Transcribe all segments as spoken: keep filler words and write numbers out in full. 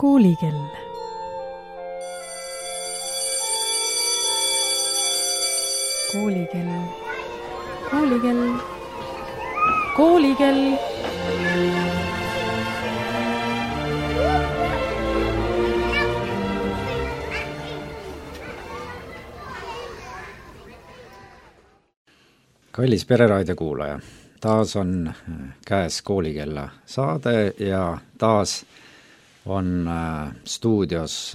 Koolikell. Koolikell. Koolikell. Koolikell. Kallis Pereraadio kuulaja, taas on käes Koolikella saade ja taas on stuudios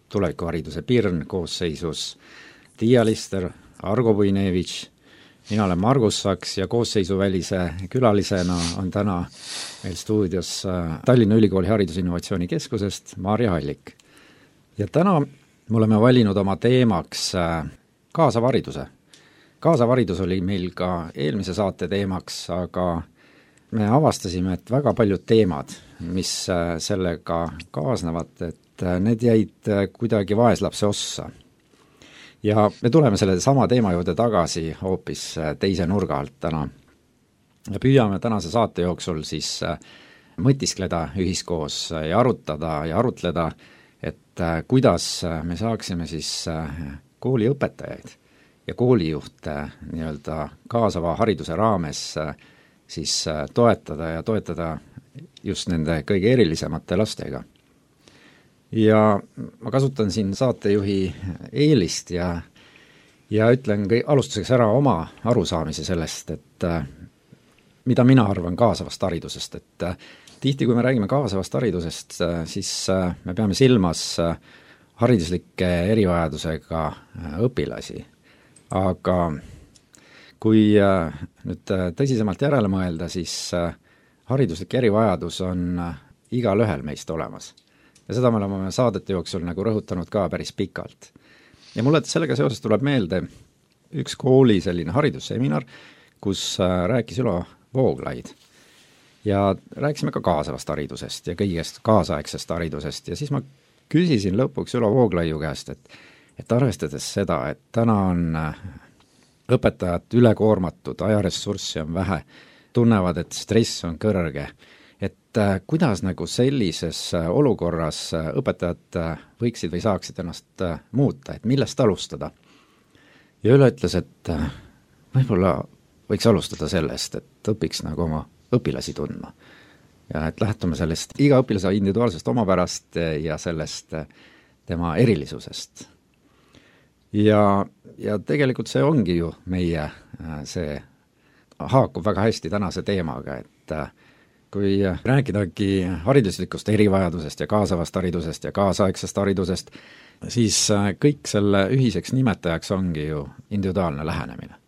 tulevikuhariduse Pirn koosseisus Tiia Lister, Argo Puinevitš, mina olen Margus Saks ja koosseisuvälise külalisena on täna meil stuudios Tallinna Ülikooli Haridusinnovatsiooni Keskusest Maarja Hallik. Ja täna me oleme valinud oma teemaks kaasava hariduse. Kaasav haridus oli meil ka eelmise saate teemaks, aga me avastasime, et väga paljud teemad, mis sellega kaasnevad, et need jäid kuidagi vaeslapse ossa. Ja me tuleme selle sama teema juurde tagasi hoopis teise nurga alt täna. Ja püüame tänase saate jooksul siis mõtiskleda ühiskoos ja arutada ja arutleda, et kuidas me saaksime siis kooliõpetajaid ja koolijuhte nii-öelda kaasava hariduse raames siis toetada ja toetada just nende kõige erilisemate lastega. Ja ma kasutan siin saatejuhi eelist ja, ja ütlen alustuseks ära oma arusaamise sellest, et mida mina arvan kaasavast haridusest, et tihti, kui me räägime kaasavast haridusest, siis me peame silmas hariduslike erivajadusega õpilasi. Aga kui nüüd tõsisemalt järele mõelda, siis hariduslik erivajadus on igal ühel meist olemas. Ja seda me oleme saadete jooksul nagu rõhutanud ka päris pikalt. Ja mulle sellega seoses tuleb meelde üks kooli selline haridusseminar, kus rääkis Ülo Vooglaid. Ja rääkisime ka kaasavast haridusest ja kõigest kaasaegsest haridusest. Ja siis ma küsisin lõpuks Ülo Vooglaiu käest, et et arvestades seda, et täna on õpetajad ülekoormatud, ajaressurssi on vähe, tunnevad, et stress on kõrge, et kuidas nagu sellises olukorras õpetajad võiksid või saaksid ennast muuta, et millest alustada. Ja Üle ütles, et võib-olla võiks alustada sellest, et õpiks nagu oma õpilasi tundma. Ja et lähtume sellest iga õpilase individuaalsest omapärast ja sellest tema erilisusest. Ja, ja tegelikult see ongi ju meie, see haakub väga hästi tänase teemaga, et kui rääkidagi hariduslikust erivajadusest ja kaasavast haridusest ja kaasaegsest haridusest, siis kõik selle ühiseks nimetajaks ongi ju individuaalne lähenemine.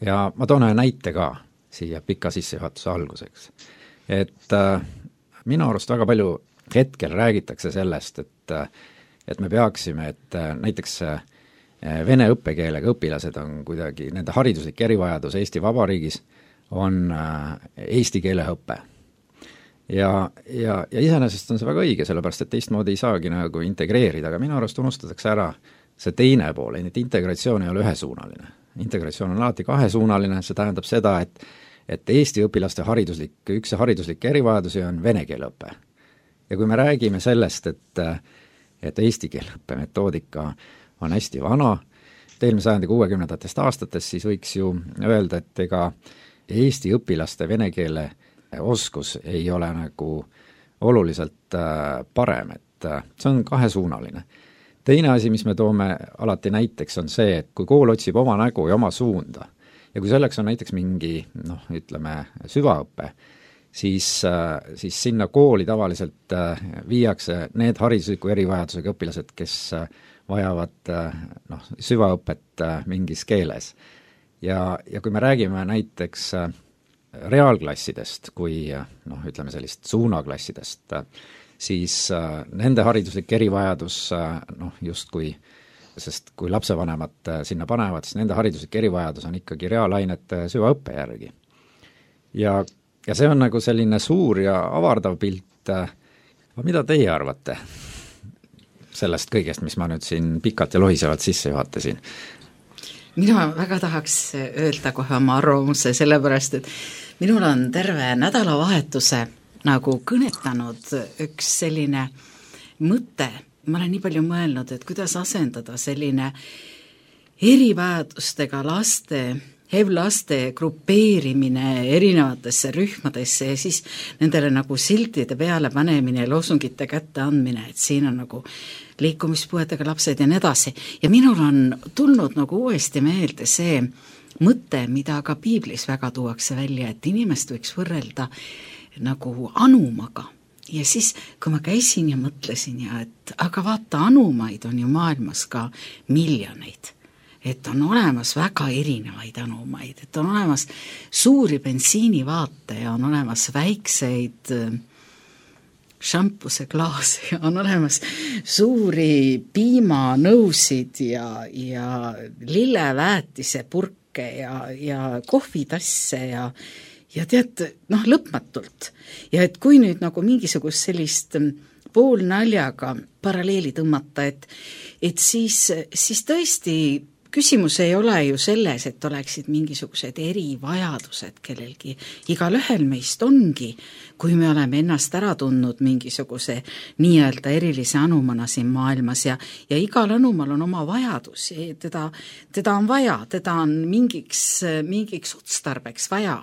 Ja ma toon ühe näite ka siia pika sissejuhatuse alguseks. Et minu arust väga palju hetkel räägitakse sellest, et, et me peaksime, et näiteks vene õppekeelega õpilased on kuidagi, nende hariduslik erivajadus Eesti Vabariigis on eesti keele õppe. Ja, ja, ja iseenesest on see väga õige, sellepärast et teistmoodi ei saagi nagu integreerida, aga minu arust unustatakse ära see teine pool, et integratsioon ei ole ühesuunaline. Integratsioon on alati kahesuunaline, see tähendab seda, et, et Eesti õpilaste hariduslik, üks hariduslik erivajadusi on vene keele õppe. Ja kui me räägime sellest, et, et eesti keele õppe metoodika on hästi vana, eelmise sajandi kuuekümnendatest aastatest, siis võiks ju öelda, et ega Eesti õpilaste vene keele oskus ei ole nagu oluliselt parem, et see on kahesuunaline. Teine asi, mis me toome alati näiteks, on see, et kui kool otsib oma nägu ja oma suunda ja kui selleks on näiteks mingi, noh, ütleme, süvaõppe, siis, siis sinna kooli tavaliselt viiakse need haridusliku erivajadusega õpilased, kes vajavad noh, süvaõpet mingis keeles. Ja, ja kui me räägime näiteks reaalklassidest kui noh, ütleme sellist suunaklassidest, siis nende hariduslik erivajadus noh, justkui, sest kui lapsevanemad sinna panevad, siis nende hariduslik erivajadus on ikkagi reaalainete süvaõppe järgi. Ja, ja see on nagu selline suur ja avardav pilt. Mida teie arvate sellest kõigest, mis ma nüüd siin pikalt ja lohisevalt sisse juhatasin? Mina väga tahaks öelda kohe oma arvamuse, sellepärast, et minul on terve nädalavahetuse nagu kõnetanud üks selline mõte, ma olen nii palju mõelnud, et kuidas asendada selline erivajadustega laste, H I V-laste grupeerimine erinevatesse rühmadesse ja siis nendele nagu siltide peale panemine ja loosungite kätte andmine, et siin on nagu liikumispuuetega lapsed ja nii edasi. Ja minul on tulnud nagu uuesti meelde see mõte, mida ka piiblis väga tuuakse välja, et inimest võiks võrrelda nagu anumaga. Ja siis, kui ma käisin ja mõtlesin, ja et aga vaata, anumaid on ju maailmas ka miljoneid. Et on olemas väga erinevaid anumaid, et on olemas suuri bensiinivaate ja on olemas väikseid šampuse klaase ja on olemas suuri piimanõusid ja, ja lilleväetise purke ja, ja kohvitasse ja, ja tead, noh, lõpmatult. Ja et kui nüüd nagu mingisugust sellist poolnaljaga paralleeli tõmmata, et, et siis, siis tõesti küsimus ei ole ju selles, et oleksid mingisugused erivajadused kellelgi. Igal ühel meist ongi, kui me oleme ennast ära tundnud mingisuguse nii-öelda erilise anumana siin maailmas ja, ja igal anumal on oma vajadus. Teda, teda on vaja, teda on mingiks, mingiks otstarbeks vaja.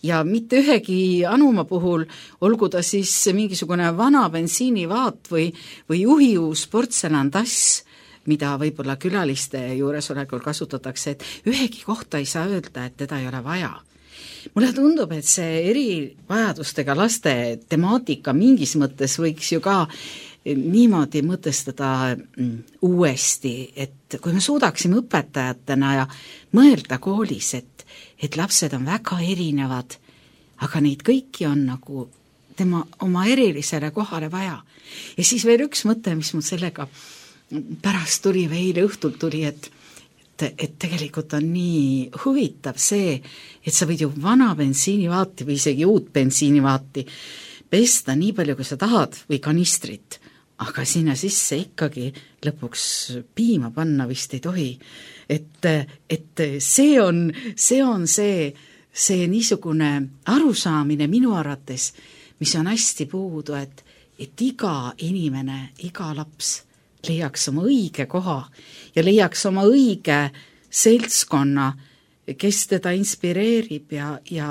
Ja mitte ühegi anuma puhul, olgu ta siis mingisugune vana bensiinivaat või, või juhiuus portselantass, mida võib-olla külaliste juuresolekul kasutatakse, et ühegi kohta ei saa öelda, et teda ei ole vaja. Mulle tundub, et see erivajadustega laste temaatika mingis mõttes võiks ju ka niimoodi mõtestada uuesti, et kui me suudaksime õpetajatena ja mõelda koolis, et, et lapsed on väga erinevad, aga neid kõiki on nagu tema oma erilisele kohale vaja. Ja siis veel üks mõte, mis mul sellega pärast tuli või eile õhtul tuli, et, et, et tegelikult on nii huvitav see, et sa võid ju vana bensiinivaati või isegi uut bensiinivaati pesta nii palju, kui sa tahad või kanistrit, aga sinna sisse ikkagi lõpuks piima panna vist ei tohi. Et, et see on see, on see, see niisugune arusaamine minu arvates, mis on hästi puudu, et, et iga inimene, iga laps leiaks oma õige koha ja leiaks oma õige seltskonna, kes teda inspireerib ja, ja,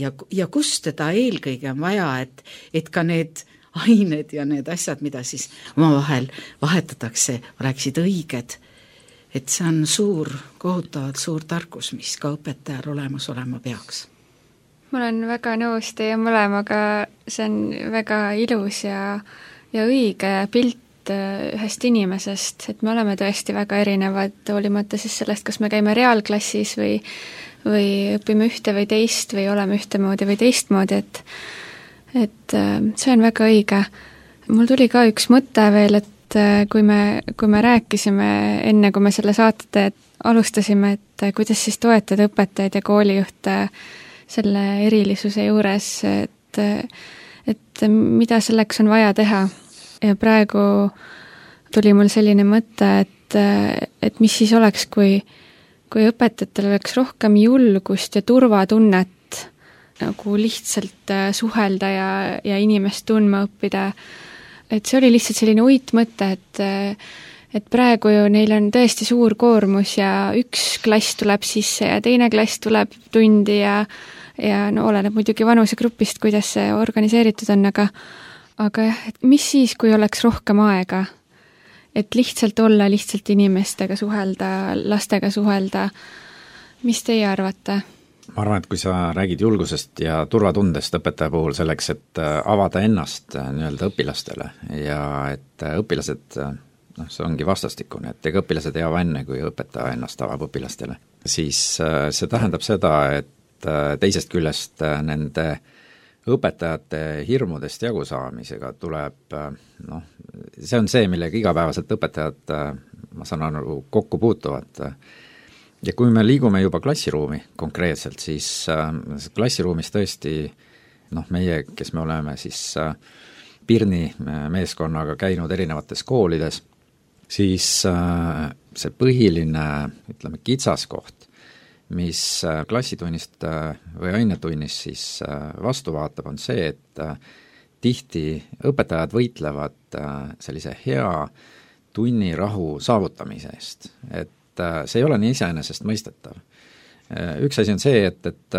ja, ja kus teda eelkõige on vaja, et, et ka need ained ja need asjad, mida siis omavahel vahetatakse, oleksid õiged. Et see on suur, kohutavalt suur tarkus, mis ka õpetajal olemas olema peaks. Ma olen väga nõus teie mõlemaga, see on väga ilus ja, ja õige pilt ühest inimesest, et me oleme tõesti väga erinevad, hoolimata siis sellest, kas me käime reaalklassis või, või õpime ühte või teist või oleme ühtemoodi või teistmoodi, et, et see on väga õige. Mul tuli ka üks mõte veel, et kui me, kui me rääkisime enne, kui me selle saate alustasime, et kuidas siis toetada õpetajaid ja koolijuhte selle erilisuse juures, et, et mida selleks on vaja teha. Ja praegu tuli mul selline mõte, et, et mis siis oleks, kui, kui õpetajatel oleks rohkem julgust ja turvatunnet nagu lihtsalt suhelda ja, ja inimest tundma õppida. Et see oli lihtsalt selline uitmõte, et, et praegu ju neil on tõesti suur koormus ja üks klass tuleb sisse ja teine klass tuleb tundi ja, ja no oleneb muidugi vanusegrupist, kuidas see organiseeritud on, aga Aga jah, et mis siis, kui oleks rohkem aega, et lihtsalt olla, lihtsalt inimestega suhelda, lastega suhelda, mis teie arvate? Ma arvan, et kui sa räägid julgusest ja turvatundest õpetaja puhul selleks, et avada ennast nii-öelda õpilastele ja et õpilased, noh, see ongi vastastikune, et ega õpilased ei ava enne, kui õpetaja ennast avab õpilastele, siis see tähendab seda, et teisest küljest nende õpetajate hirmudest jagu saamisega tuleb, noh, see on see, millega igapäevaselt õpetajad, ma saan aru, kokku puutuvad. Ja kui me liigume juba klassiruumi konkreetselt, siis klassiruumis tõesti, noh, meie, kes me oleme siis Pirni meeskonnaga käinud erinevates koolides, siis see põhiline, ütleme, kitsaskoht, mis klassitunnist või ainetunnist siis vastu vaatab, on see, et tihti õpetajad võitlevad sellise hea tunnirahu saavutamise eest, et see ei ole nii iseenesestmõistetav. Üks asi on see, et, et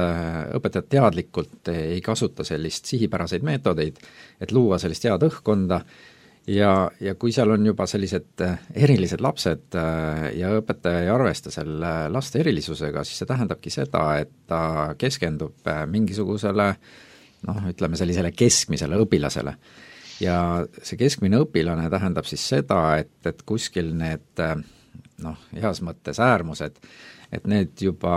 õpetajad teadlikult ei kasuta sellist sihipäraseid meetodeid, et luua sellist head õhkkonda ja, ja kui seal on juba sellised erilised lapsed ja õpetaja ei arvesta selle laste erilisusega, siis see tähendabki seda, et ta keskendub mingisugusele noh, ütleme sellisele keskmisele õpilasele. Ja see keskmine õpilane tähendab siis seda, et, et kuskil need noh, heas mõttes äärmused, et need juba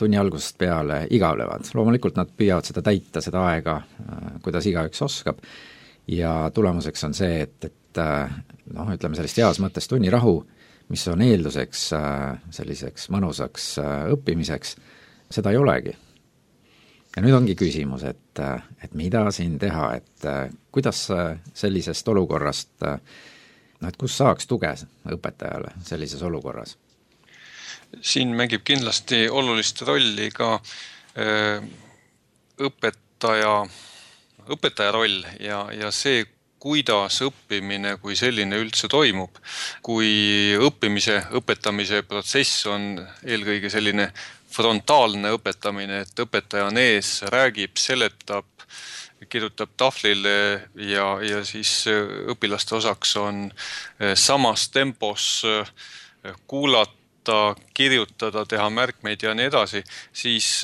tunni algusest peale igavlevad. Loomulikult nad püüavad seda täita, seda aega, kuidas igaüks oskab, ja tulemuseks on see, et, et noh, ütleme sellist heas mõttes tunnirahu, mis on eelduseks selliseks mõnusaks õppimiseks, seda ei olegi. Ja nüüd ongi küsimus, et, et mida siin teha, et kuidas sellisest olukorrast, no et kus saaks tuge õpetajale sellises olukorras? Siin mängib kindlasti olulist rolli ka öö, õpetaja, õpetaja roll ja, ja see, kuidas õppimine kui selline üldse toimub. Kui õppimise, õpetamise protsess on eelkõige selline frontaalne õpetamine, et õpetaja on ees, räägib, seletab, kirjutab tahvlile ja, ja siis õpilaste osaks on samas tempos kuulata, kirjutada, teha märkmeid ja nii edasi, siis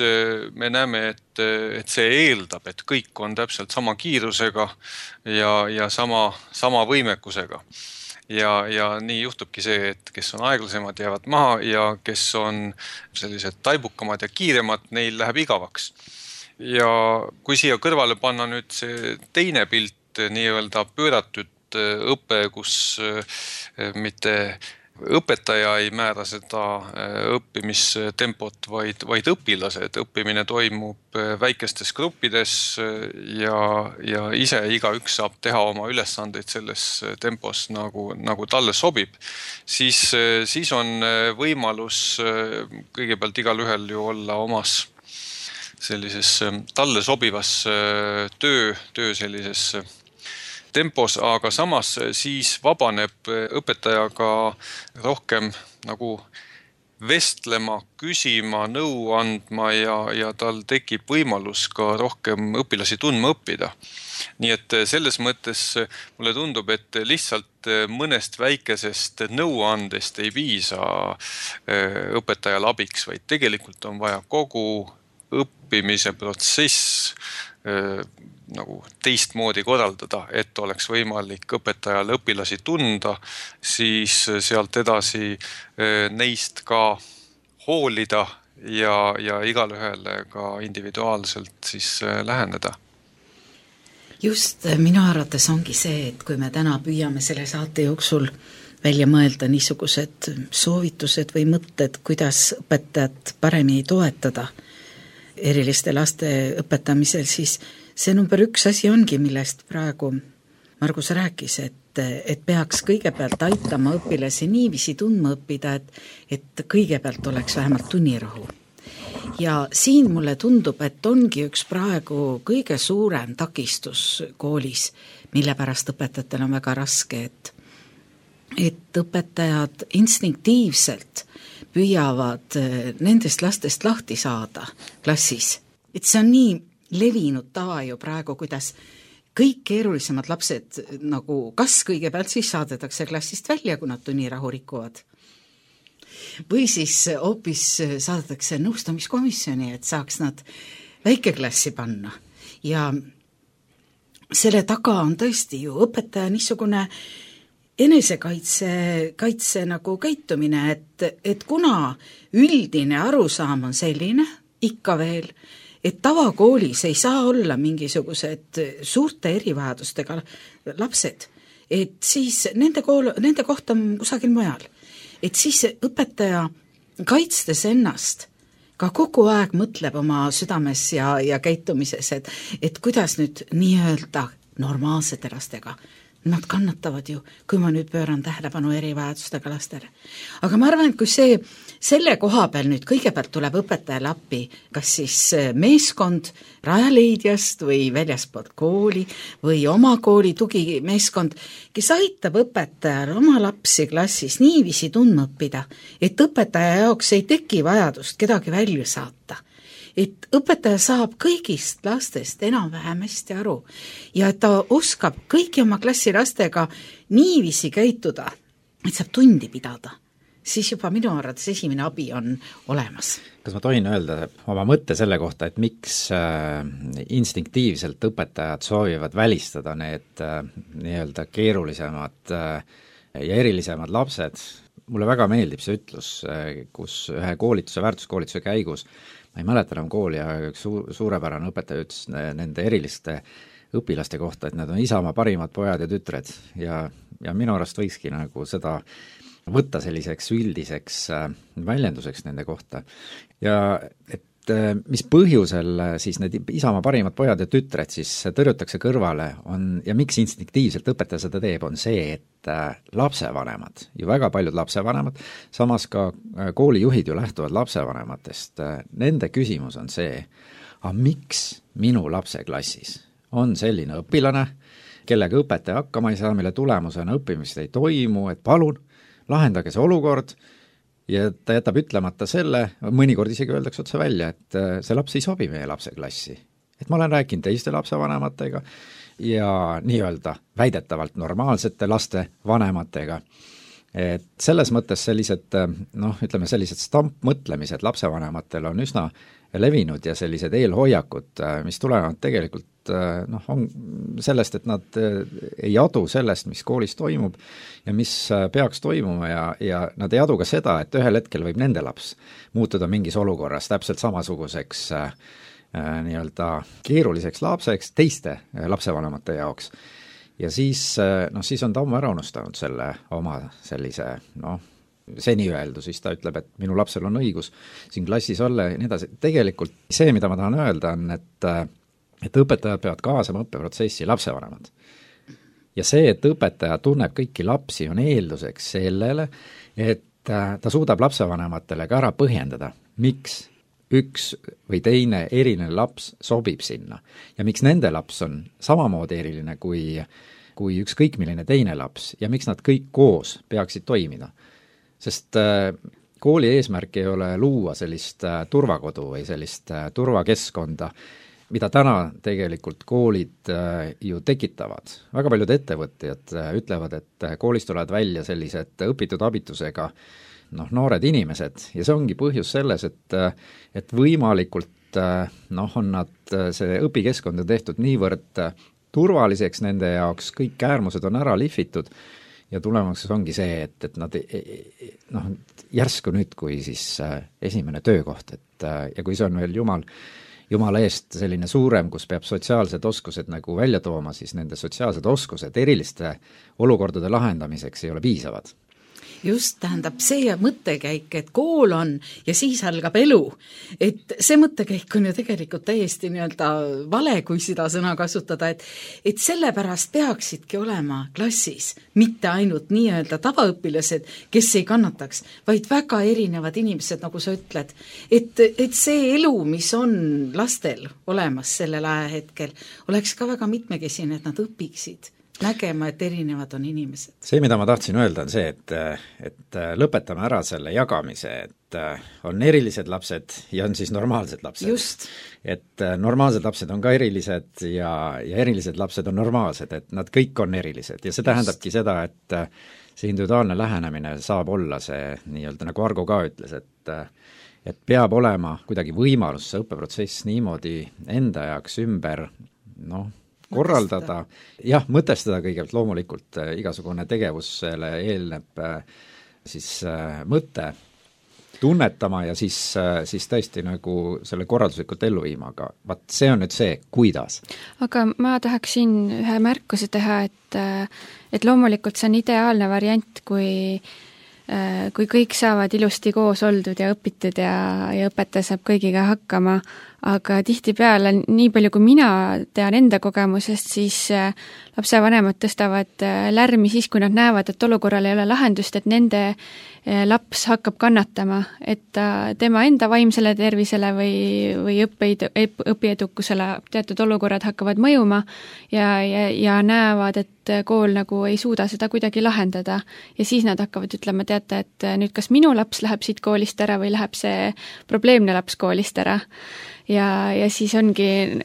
me näeme, et, et see eeldab, et kõik on täpselt sama kiirusega ja, ja sama, sama võimekusega. Ja, ja nii juhtubki see, et kes on aeglasemad, jäävad maha ja kes on sellised taibukamad ja kiiremad, neil läheb igavaks. Ja kui siia kõrvale panna nüüd see teine pilt, nii-öelda pööratud õpe, kus mitte õpetaja ei määra seda õppimistempot, vaid, vaid õpilased. Õppimine toimub väikestes gruppides ja, ja ise igaüks saab teha oma ülesandeid selles tempos, nagu, nagu talle sobib. Siis, siis on võimalus kõigepealt igal ühel ju olla omas sellises talle sobivas töö, töö sellises tempos, aga samas siis vabaneb õpetajaga rohkem nagu vestlema, küsima, nõu andma ja, ja tal tekib võimalus ka rohkem õpilasi tundma õppida. Nii et selles mõttes mulle tundub, et lihtsalt mõnest väikesest nõuandest ei piisa õpetajal abiks, vaid tegelikult on vaja kogu õppimise protsess nagu teistmoodi korraldada, et oleks võimalik õpetajal õpilasi tunda, siis sealt edasi neist ka hoolida ja, ja igal ühele ka individuaalselt siis läheneda. Just minu arvates ongi see, et kui me täna püüame selle saate jooksul välja mõelda niisugused soovitused või mõtted, kuidas õpetajat paremini toetada eriliste laste õpetamisel, siis see number üks asi ongi, millest praegu Margus rääkis, et, et peaks kõigepealt aitama õpilasi niiviisi tundma õppida, et, et kõigepealt oleks vähemalt tunnirahu. Ja siin mulle tundub, et ongi üks praegu kõige suurem takistus koolis, mille pärast õpetajatel on väga raske, et, et õpetajad instinktiivselt püüavad nendest lastest lahti saada klassis. Et see on nii levinud tava ju praegu, kuidas kõik keerulisemad lapsed nagu kas kõigepealt siis saadetakse klassist välja, kui nad tunnirahu rikuvad. Või siis hoopis saadetakse nõustamiskomisjoni, et saaks nad väikeklassi panna. Ja selle taga on tõesti ju õpetaja niisugune enesekaitse kaitse nagu käitumine, et, et kuna üldine arusaam on selline, ikka veel, et tavakoolis ei saa olla mingisugused suurte erivajadustega lapsed, et siis nende, kool, nende koht on kusagil mujal. Et siis õpetaja kaitstes ennast ka kogu aeg mõtleb oma südames ja, ja käitumises, et, et kuidas nüüd nii-öelda normaalsete lastega nad kannatavad ju, kui ma nüüd pööran tähelepanu erivajadustega lastele. Aga ma arvan, et kui see, selle koha peal nüüd kõigepealt tuleb õpetajale appi, kas siis meeskond Rajaleidjast või väljaspoolt kooli või oma kooli tugimeeskond, kes aitab õpetajal oma lapsi klassis niiviisi tundma õppida, et õpetaja jaoks ei teki vajadust kedagi välja saata. Et õpetaja saab kõigist lastest enam-vähem hästi aru ja et ta oskab kõiki oma klassi lastega niiviisi käituda, et saab tundi pidada, siis juba minu arvates esimene abi on olemas. Kas ma tohin öelda oma mõtte selle kohta, et miks äh, instinktiivselt õpetajad soovivad välistada need äh, nii-öelda keerulisemad äh, ja erilisemad lapsed? Mulle väga meeldib see ütlus, äh, kus ühe koolituse, väärtuskoolituse käigus ma ei mäleta enam kooli, aga üks suur, suurepärane õpetaja ütles nende eriliste õpilaste kohta, et need on isamaa parimad pojad ja tütred ja, ja minu arust võikski nagu seda võtta selliseks üldiseks väljenduseks nende kohta. Ja et mis põhjusel siis need isamaa parimad pojad ja tütred siis tõrjutakse kõrvale on ja miks instinktiivselt õpetaja seda teeb, on see, et lapsevanemad, ju väga paljud lapsevanemad, samas ka koolijuhid ju lähtuvad lapsevanematest, nende küsimus on see, aga miks minu lapse klassis on selline õpilane, kellega õpetaja hakkama ei saa, mille tulemusena õppimist ei toimu, et palun, lahendage see olukord, ja ta jätab ütlemata selle, mõnikord isegi öeldakse otse välja, et see laps ei sobi meie lapse klassi. Et ma olen rääkinud teiste lapsevanematega ja nii-öelda väidetavalt normaalsete laste vanematega. Et selles mõttes sellised, noh, ütleme sellised stampmõtlemised lapsevanematel on üsna levinud ja sellised eelhoiakud, mis tulevad tegelikult noh, on sellest, et nad ei adu sellest, mis koolis toimub ja mis peaks toimuma ja, ja nad ei adu ka seda, et ühel hetkel võib nende laps muutuda mingis olukorras täpselt samasuguseks äh, nii-öelda keeruliseks lapseks teiste lapsevanemate jaoks. Ja siis, noh, siis on ta ammu ära unustanud selle oma sellise, noh, seni öeldu, siis ta ütleb, et minu lapsel on õigus siin klassis olla ja nii edasi. Tegelikult see, mida ma tahan öelda, on, et et õpetajad peavad kaasama õppeprotsessi lapsevanemad. Ja see, et õpetaja tunneb kõiki lapsi, on eelduseks sellele, et ta suudab lapsevanematele ka ära põhjendada, miks üks või teine eriline laps sobib sinna ja miks nende laps on samamoodi eriline kui, kui ükskõik milline teine laps ja miks nad kõik koos peaksid toimida. Sest kooli eesmärk ei ole luua sellist turvakodu või sellist turvakeskkonda, mida täna tegelikult koolid ju tekitavad. Väga paljud ettevõtjad ütlevad, et koolis tulevad välja sellised õpitud abitusega noh, noored inimesed ja see ongi põhjus selles, et, et võimalikult noh, on nad, see õpikeskkond on tehtud niivõrd turvaliseks nende jaoks, kõik äärmused on ära lihvitud ja tulemuseks ongi see, et, et nad noh, järsku nüüd, kui siis esimene töökoht, et ja kui see on veel jumal Jumala eest selline suurem, kus peab sotsiaalsed oskused nagu välja tooma, siis nende sotsiaalsed oskused eriliste olukordade lahendamiseks ei ole piisavad. Just, tähendab see mõttekäik, et kool on ja siis algab elu. Et see mõttekäik on ju tegelikult täiesti nii-öelda vale, kui seda sõna kasutada, et, et sellepärast peaksidki olema klassis mitte ainult nii-öelda tavaõpilased, kes ei kannataks, vaid väga erinevad inimesed, nagu sa ütled. Et, et see elu, mis on lastel olemas sellel ajahetkel, oleks ka väga mitmekesine, et nad õpiksid nägema, et erinevad on inimesed. See, mida ma tahtsin öelda, on see, et, et lõpetame ära selle jagamise, et on erilised lapsed ja on siis normaalsed lapsed. Just. Et normaalsed lapsed on ka erilised ja, ja erilised lapsed on normaalsed, et nad kõik on erilised ja see Just. Tähendabki seda, et see individuaalne lähenemine saab olla see nii-öelda, nagu Argo ka ütles, et et peab olema kuidagi võimalus see õppeprotsess niimoodi enda jaoks ümber, noh, korraldada, jah, mõtestada kõigepealt loomulikult äh, igasugune tegevusele eelneb äh, siis äh, mõte tunnetama ja siis, äh, siis tõesti nagu selle korralduslikult ellu viima, aga vaat see on nüüd see, kuidas. Aga ma tahaksin ühe märkuse teha, et, et loomulikult see on ideaalne variant, kui kui kõik saavad ilusti koos oldud ja õpitud ja, ja õpetaja saab kõigiga hakkama, aga tihtipeale, nii palju kui mina tean enda kogemusest, siis lapsevanemad tõstavad lärmi siis, kui nad näevad, et olukorral ei ole lahendust, et nende laps hakkab kannatama, et ta, tema enda vaimsele tervisele või, või õppeid, õpiedukusele teatud olukorrad hakkavad mõjuma ja, ja, ja näevad, et kool nagu ei suuda seda kuidagi lahendada. Ja siis nad hakkavad ütlema, teate, et nüüd kas minu laps läheb siit koolist ära või läheb see probleemne laps koolist ära. Ja, ja siis ongi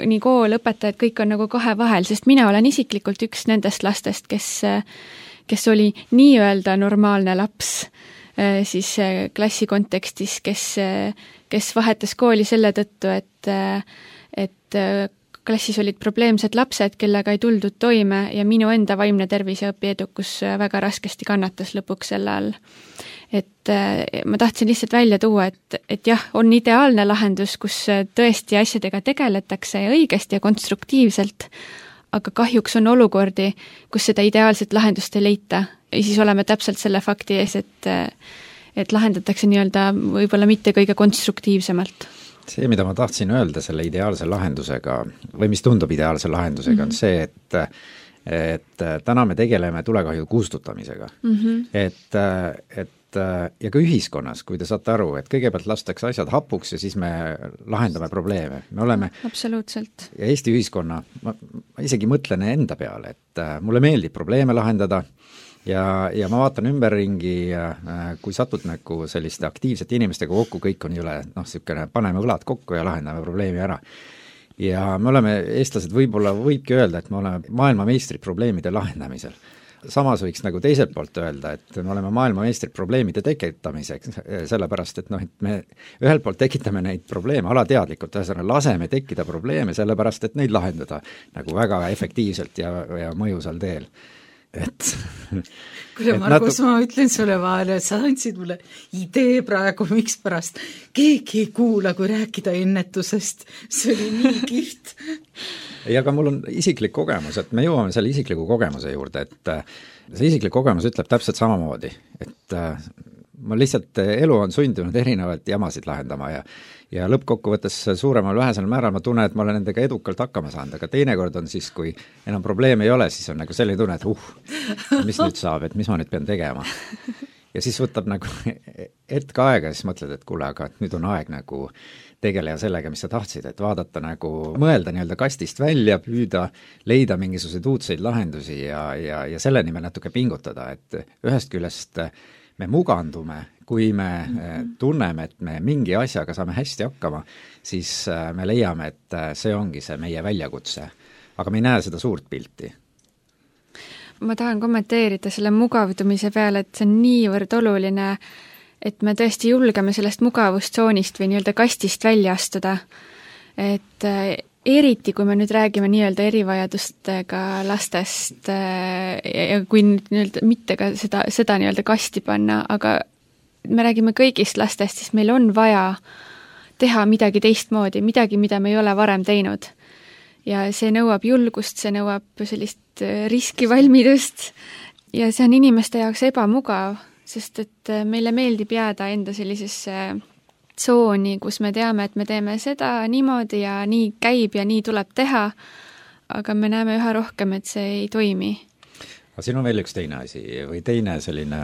nii kool, õpetajad, kõik on nagu kahe vahel, sest mina olen isiklikult üks nendest lastest, kes, kes oli nii-öelda normaalne laps siis klassi kontekstis, kes, kes vahetas kooli selle tõttu, et, et klassis olid probleemsed lapsed, kellega ei tuldud toime ja minu enda vaimne tervis ja õpiedukus väga raskesti kannatas lõpuks selle all. Et ma tahtsin lihtsalt välja tuua, et, et jah, on ideaalne lahendus, kus tõesti asjadega tegeletakse ja õigesti ja konstruktiivselt, aga kahjuks on olukordi, kus seda ideaalset lahendust ei leita ja siis oleme täpselt selle fakti ees, et, et lahendatakse nii-öelda võib-olla mitte kõige konstruktiivsemalt. See, mida ma tahtsin öelda selle ideaalse lahendusega või mis tundub ideaalse lahendusega, mm-hmm. on see, et et täna me tegeleme tulekahju kustutamisega. Mm-hmm. Et, et ja ka ühiskonnas, kui te saate aru, et kõigepealt lastakse asjad hapuks ja siis me lahendame probleeme. Me oleme absoluutselt. Ja Eesti ühiskonna, ma, ma isegi mõtlen enda peale, et mulle meeldib probleeme lahendada ja, ja ma vaatan ümberringi, kui satud nagu selliste aktiivsete inimestega kokku, kõik on üle, noh, niisugune paneme õlad kokku ja lahendame probleemi ära. Ja me oleme, eestlased võib-olla võibki öelda, et me oleme maailmameistrid probleemide lahendamisel. Samas võiks nagu teiselt poolt öelda, et me oleme maailmameistrid probleemide tekitamiseks, sellepärast, et noh, et me ühelt poolt tekitame neid probleeme alateadlikult, ühesõnaga laseme tekkida probleeme, sellepärast, et neid lahendada nagu väga efektiivselt ja, ja mõjusal teel. Et, kuule, Margus, natu... ma ütlen sulle vahele, et sa andsid mulle idee praegu, miks pärast keegi ei kuula, kui rääkida ennetusest. See oli nii kihvt. Ja aga mul on isiklik kogemus, et me jõuame selle isikliku kogemuse juurde, et see isiklik kogemus ütleb täpselt samamoodi, et ma lihtsalt, elu on sundinud erinevaid jamasid lahendama ja ja lõppkokkuvõttes suuremal vähesel määral ma tunnen, et ma olen nendega edukalt hakkama saanud, aga teinekord on siis, kui enam probleeme ei ole, siis on nagu selline tunne, et uh, mis nüüd saab, et mis ma nüüd pean tegema. Ja siis võtab nagu hetk aega ja siis mõtled, et kuule, aga nüüd on aeg nagu tegeleja sellega, mis sa tahtsid, et vaadata nagu, mõelda nii-öelda kastist välja, püüda, leida mingisuguseid uudseid lahendusi ja, ja, ja selle nimel natuke pingutada, et ühest küljest me mugandume, kui me tunneme, et me mingi asjaga saame hästi hakkama, siis me leiame, et see ongi see meie väljakutse. Aga me ei näe seda suurt pilti. Ma tahan kommenteerida selle mugavdumise peale, et see on niivõrd oluline, et me tõesti julgeme sellest mugavustsoonist või nii-öelda kastist välja astuda. Et eriti, kui me nüüd räägime nii-öelda erivajadustega lastest ja kui nii-öelda mitte ka seda, seda nii-öelda kasti panna, aga me räägime kõigist lastest, siis meil on vaja teha midagi teistmoodi, midagi, mida me ei ole varem teinud. Ja see nõuab julgust, see nõuab sellist riskivalmidust ja see on inimeste jaoks ebamugav, sest et meile meeldib jääda enda sellisesse tsooni, kus me teame, et me teeme seda niimoodi ja nii käib ja nii tuleb teha, aga me näeme üha rohkem, et see ei toimi. Aga siin on veel üks teine asi või teine selline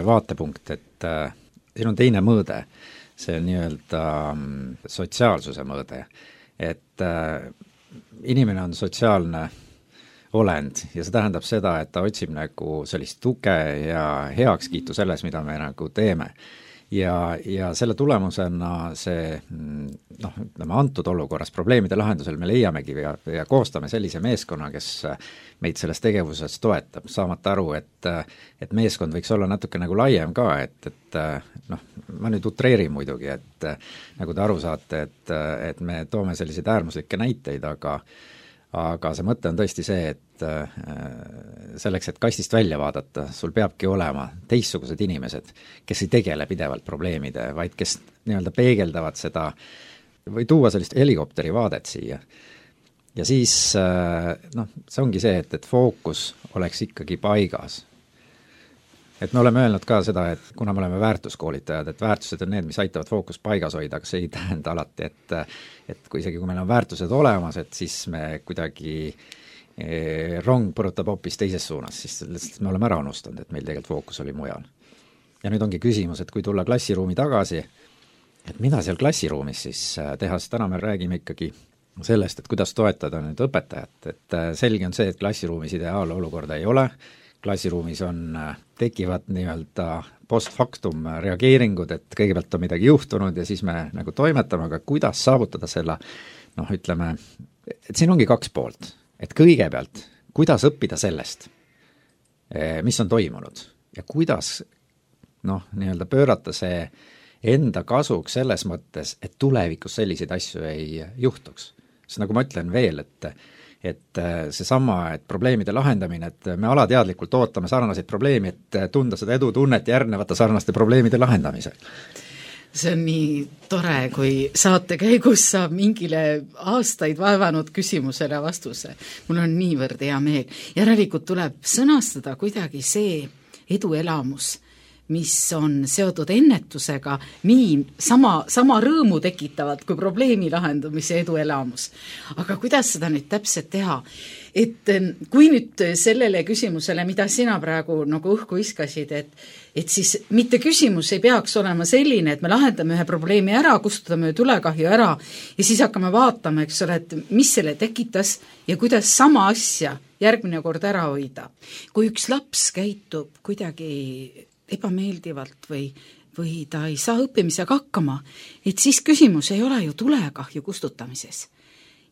vaatepunkt, et äh, siin on teine mõõde, see on nii-öelda sotsiaalsuse mõõde, et äh, inimene on sotsiaalne olend ja see tähendab seda, et ta otsib nagu sellist tuge ja heakskiitu selles, mida me nagu teeme. Ja, ja selle tulemusena see, noh, ütleme antud olukorras probleemide lahendusel me leiamegi ja, ja koostame sellise meeskonna, kes meid selles tegevuses toetab, saamata aru, et, et meeskond võiks olla natuke nagu laiem ka, et, et noh, ma nüüd utreerin muidugi, et nagu te aru saate, et, et me toome selliseid äärmuslikke näiteid, aga aga see mõte on tõesti see, et selleks, et kastist välja vaadata, sul peabki olema teistsugused inimesed, kes ei tegele pidevalt probleemide, vaid kes nii-öelda peegeldavad seda või tuua sellist helikopteri vaadet siia. Ja siis noh, see ongi see, et, et fookus oleks ikkagi paigas. et me oleme öelnud ka seda, et kuna me oleme väärtuskoolitajad, et väärtused on need, mis aitavad fookust paigas hoida, aga see ei tähenda alati, et et kui isegi kui meil on väärtused olemas, et siis me kuidagi eh, rong põrutab hoopis teises suunas, siis lihtsalt me oleme ära unustanud, et meil tegelikult fookus oli mujal. Ja nüüd ongi küsimus, et kui tulla klassiruumi tagasi, et mida seal klassiruumis siis teha, sest täna me räägime ikkagi sellest, et kuidas toetada nüüd õpetajat, et selge on see, et klassiruumis ideaalolukorda ei ole, klassiruumis on, tekivad nii-öelda post-factum reageeringud, et kõigepealt on midagi juhtunud ja siis me nagu toimetame, aga kuidas saavutada selle, noh ütleme, et siin ongi kaks poolt, et kõigepealt, kuidas õppida sellest, mis on toimunud ja kuidas noh, nii-öelda pöörata see enda kasuks selles mõttes, et tulevikus selliseid asju ei juhtuks. Sest nagu ma ütlen veel, et et seesama, et probleemide lahendamine, et me alateadlikult ootame sarnaseid probleemi, et tunda seda edutunnet järgnevate sarnaste probleemide lahendamisel. See on nii tore, kui saate käigus saab mingile aastaid vaevanud küsimusele vastuse. Mul on niivõrd hea meel. Järelikult tuleb sõnastada kuidagi see eduelamus, mis on seotud ennetusega, nii sama, sama rõõmu tekitavad kui probleemi lahendamise eduelamus. Aga kuidas seda nüüd täpselt teha? Et kui nüüd sellele küsimusele, mida sina praegu nagu õhku iskasid, et, et siis mitte küsimus ei peaks olema selline, et me lahendame ühe probleemi ära, kustutame tulekahju ära ja siis hakkame vaatama, eks ole, et mis selle tekitas ja kuidas sama asja järgmine kord ära hoida. Kui üks laps käitub kuidagi ebameeldivalt või, või ta ei saa õppimisega hakkama, et siis küsimus ei ole ju tulekahju kustutamises.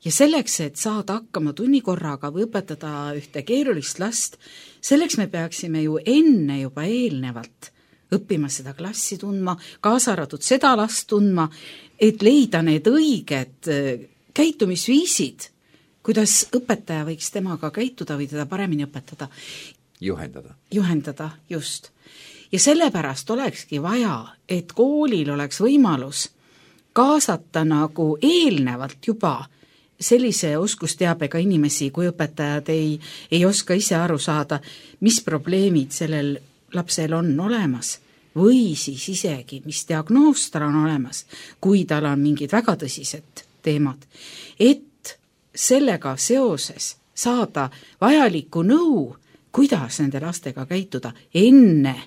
Ja selleks, et saada hakkama tunnikorraga või õpetada ühte keerulist last, selleks me peaksime ju enne juba eelnevalt õppima seda klassi tundma, kaasa arvatud seda last tundma, et leida need õiged käitumisviisid, kuidas õpetaja võiks temaga käituda või teda paremini õpetada. Juhendada. Juhendada, just. Ja sellepärast olekski vaja, et koolil oleks võimalus kaasata nagu eelnevalt juba sellise oskusteabega inimesi, kui õpetajad ei, ei oska ise aru saada, mis probleemid sellel lapsel on olemas või siis isegi, mis diagnoos tal on olemas, kui tal on mingid väga tõsised teemad, et sellega seoses saada vajalikku nõu, kuidas nende lastega käituda enne,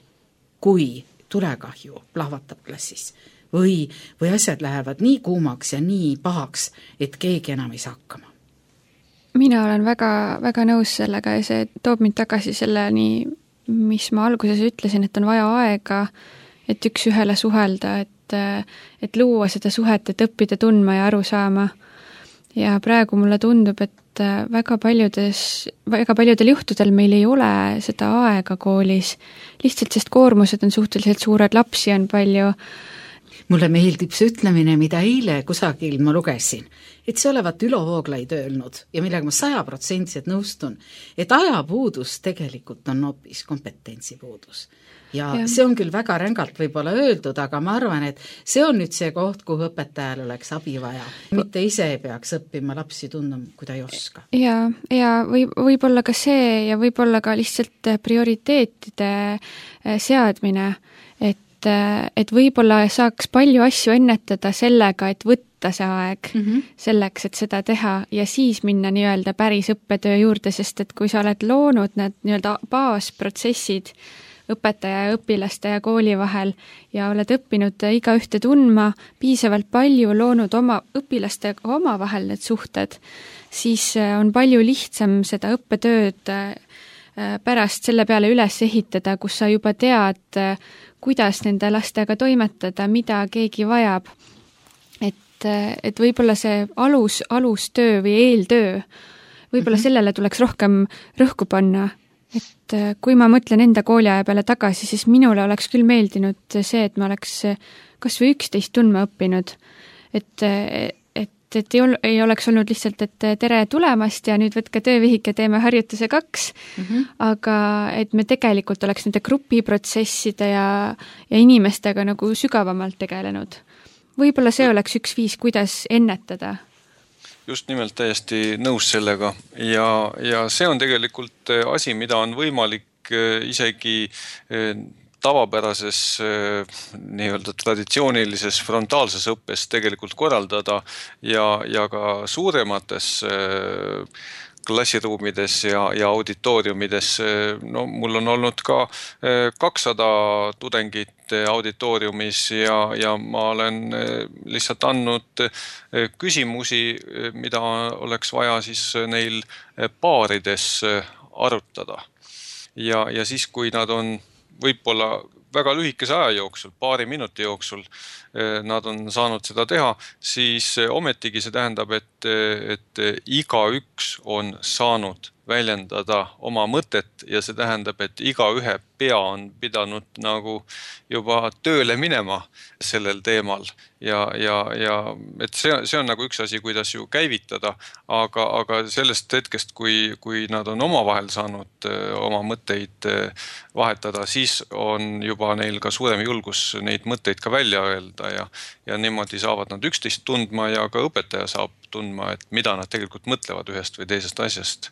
kui tulekahju plahvatab klassis või, või asjad lähevad nii kuumaks ja nii pahaks, et keegi enam ei saa hakkama. Mina olen väga, väga nõus sellega ja see toob mind tagasi selleni, mis ma alguses ütlesin, et on vaja aega, et üks ühele suhelda, et, et luua seda suhet, et õppida tundma ja aru saama. Ja praegu mulle tundub, et väga paljudes, väga paljudel juhtudel meil ei ole seda aega koolis, lihtsalt sest koormused on suhteliselt suured, lapsi on palju. Mulle meeldib see ütlemine, mida eile kusagil ma lugesin, et see olevat Ülo Vooglaid öelnud ja millega ma saja protsendiliselt nõustun, et ajapuudus tegelikult on hoopis kompetentsipuudus. Ja, ja see on küll väga rängalt võib-olla öeldud, aga ma arvan, et see on nüüd see koht, kuhu õpetajal oleks abi vaja. Mitte ise ei peaks õppima lapsi tundma, kui ta ei oska. Ja, ja võib, võib-olla ka see ja võib-olla ka lihtsalt prioriteetide seadmine, et, et võib-olla saaks palju asju ennetada sellega, et võtta see aeg mm -hmm. selleks, et seda teha ja siis minna nii-öelda päris õppetöö juurde, sest et kui sa oled loonud need nii-öelda baasprotsessid õpetaja ja õpilaste ja kooli vahel ja oled õppinud igaühte tundma, piisavalt palju loonud oma õpilastega oma vahel need suhted, siis on palju lihtsam seda õppetööd pärast selle peale üles ehitada, kus sa juba tead, kuidas nende lastega toimetada, mida keegi vajab. Et, et võib-olla see alus, alustöö või eeltöö, võib-olla mm-hmm. sellele tuleks rohkem rõhku panna. Et kui ma mõtlen enda kooliaja peale tagasi, siis minule oleks küll meeldinud see, et ma oleks kas või üksteist tundma õppinud. Et, et, et ei, ol, ei oleks olnud lihtsalt, et tere tulemast ja nüüd võtke töövihik ja teeme harjutuse kaks, mm-hmm. aga et me tegelikult oleks nende grupiprotsesside ja, ja inimestega nagu sügavamalt tegelenud. Võib-olla see oleks üks viis, kuidas ennetada. Just nimelt täiesti nõus sellega ja, ja see on tegelikult asi, mida on võimalik võimalik isegi tavapärases nii-öelda traditsioonilises frontaalses õppes tegelikult korraldada ja, ja ka suuremates klassiruumides ja, ja auditooriumides. No, mul on olnud ka kakssada tudengit auditooriumis ja, ja ma olen lihtsalt andnud küsimusi, mida oleks vaja siis neil paarides arutada. Ja, ja siis, kui nad on võib-olla väga lühikese aja jooksul, paari minuti jooksul nad on saanud seda teha, siis ometigi see tähendab, et, et igaüks on saanud väljendada oma mõtet ja see tähendab, et igaühe pea on pidanud nagu juba tööle minema sellel teemal ja, ja, ja et see, see on nagu üks asi, kuidas ju käivitada, aga, aga sellest hetkest, kui, kui nad on omavahel saanud oma mõtteid vahetada, siis on juba neil ka suurem julgus neid mõtteid ka välja öelda ja, ja niimoodi saavad nad üksteist tundma ja ka õpetaja saab tundma, et mida nad tegelikult mõtlevad ühest või teisest asjast.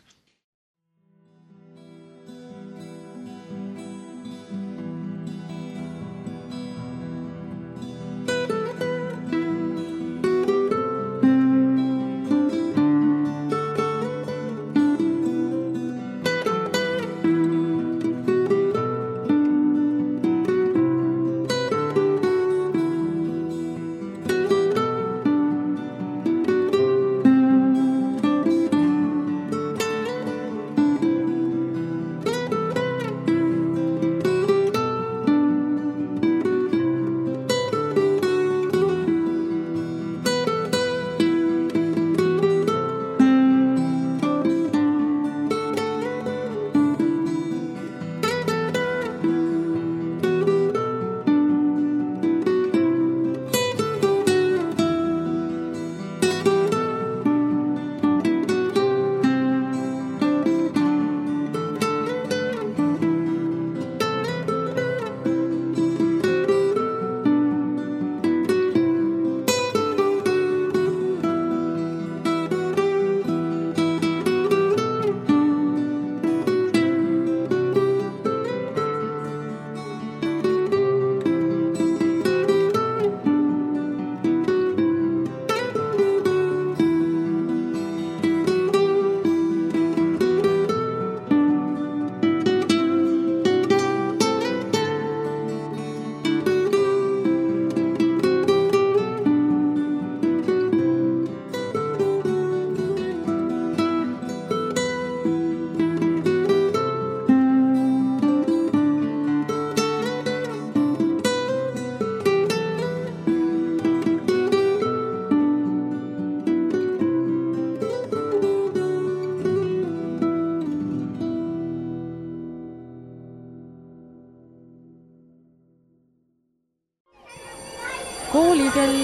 Koolikell.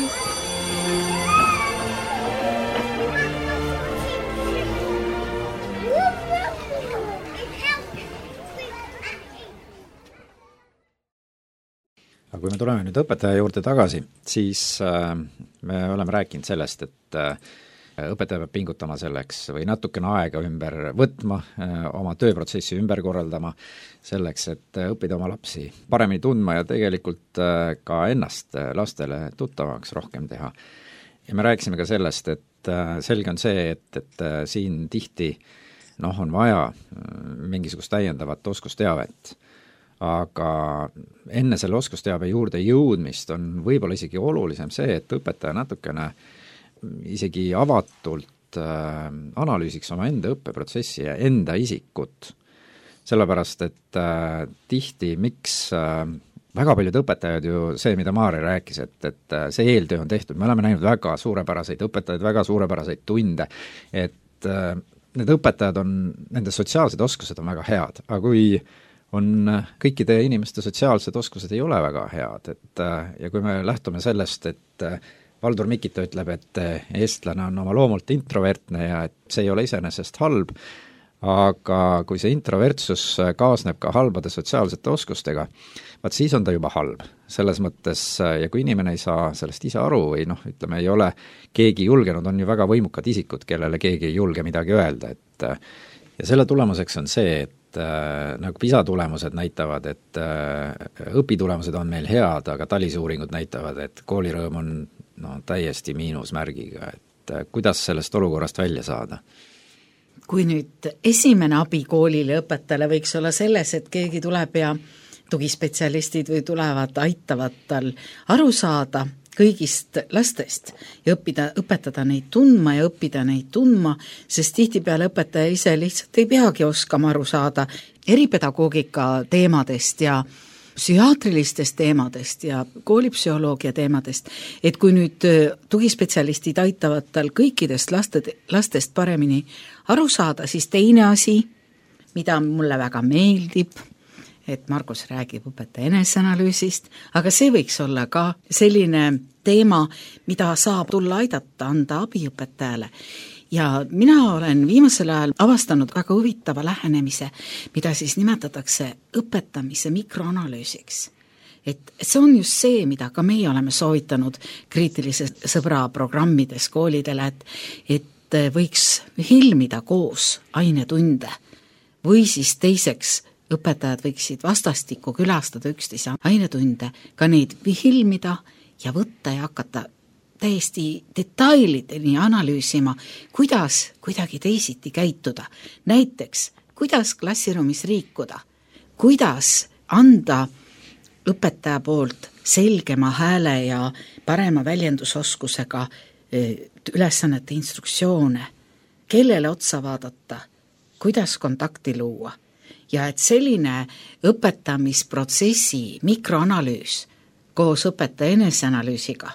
Aga kui me tuleme nüüd õpetaja juurde tagasi, siis äh, me oleme rääkinud sellest, et äh, õpetaja peab pingutama selleks või natukene aega ümber võtma, äh, oma tööprotsessi ümber korraldama, selleks, et õppida oma lapsi paremini tundma ja tegelikult äh, ka ennast lastele tuttavaks rohkem teha. Ja me rääkisime ka sellest, et äh, selge on see, et, et äh, siin tihti noh, on vaja äh, mingisugust täiendavat oskusteavet. Aga enne selle oskusteabe juurde jõudmist on võib-olla isegi olulisem see, et õpetaja natukene isegi avatult äh, analüüsiks oma enda õppeprotsessi ja enda isikut. Sellepärast, et äh, tihti, miks äh, väga paljud õpetajad ju see, mida Maarja rääkis, et, et äh, see eeltöö on tehtud, me oleme näinud väga suurepäraseid õpetajaid, väga suurepäraseid tunde, et äh, need õpetajad on, nende sotsiaalsed oskused on väga head, aga kui on kõikide inimeste sotsiaalsed oskused ei ole väga head, et ja kui me lähtume sellest, et Valdur Mikita ütleb, et eestlane on oma loomult introvertne ja et see ei ole iseenesest halb, aga kui see introvertsus kaasneb ka halbade sotsiaalsete oskustega, vaat siis on ta juba halb. Selles mõttes, ja kui inimene ei saa sellest ise aru või noh, ütleme, ei ole keegi julgenud, on ju väga võimukad isikud, kellele keegi ei julge midagi öelda, et ja selle tulemuseks on see, et äh, nagu PISA tulemused näitavad, et äh, õpitulemused on meil head, aga TALIS uuringud näitavad, et koolirõõm on no, täiesti miinusmärgiga, et äh, kuidas sellest olukorrast välja saada? Kui nüüd esimene abi koolile õpetajale võiks olla selles, et keegi tuleb ja tugispetsialistid või tulevad, aitavad tal aru saada kõigist lastest ja õppida, õpetada neid tundma ja õppida neid tundma, sest tihtipeale õpetaja ise lihtsalt ei peagi oskama aru saada eripedagoogika teemadest ja psühhiaatrilistest teemadest ja koolipsühholoogia teemadest, et kui nüüd tugispetsialistid aitavad tal kõikidest laste, lastest paremini aru saada, siis teine asi, mida mulle väga meeldib, et Margus räägib õpetaja eneseanalüüsist, aga see võiks olla ka selline teema, mida saab tulla aidata, anda abi õpetajale. Ja mina olen viimasel ajal avastanud väga huvitava lähenemise, mida siis nimetatakse õpetamise mikroanalüüsiks. Et see on just see, mida ka meie oleme soovitanud kriitilise sõbra programmides koolidele, et, et võiks filmida koos ainetunde või siis teiseks õpetajad võiksid vastastikku külastada üksteise ainetunde, ka neid filmida ja võtta ja hakata täiesti detailideni analüüsima, kuidas kuidagi teisiti käituda. Näiteks, kuidas klassiruumis liikuda, kuidas anda õpetaja poolt selgema hääle ja parema väljendusoskusega ülesannete instruktsioone, kellele otsa vaadata, kuidas kontakti luua. Ja et selline õpetamisprotsessi mikroanalüüs koos õpetaja eneseanalüüsiga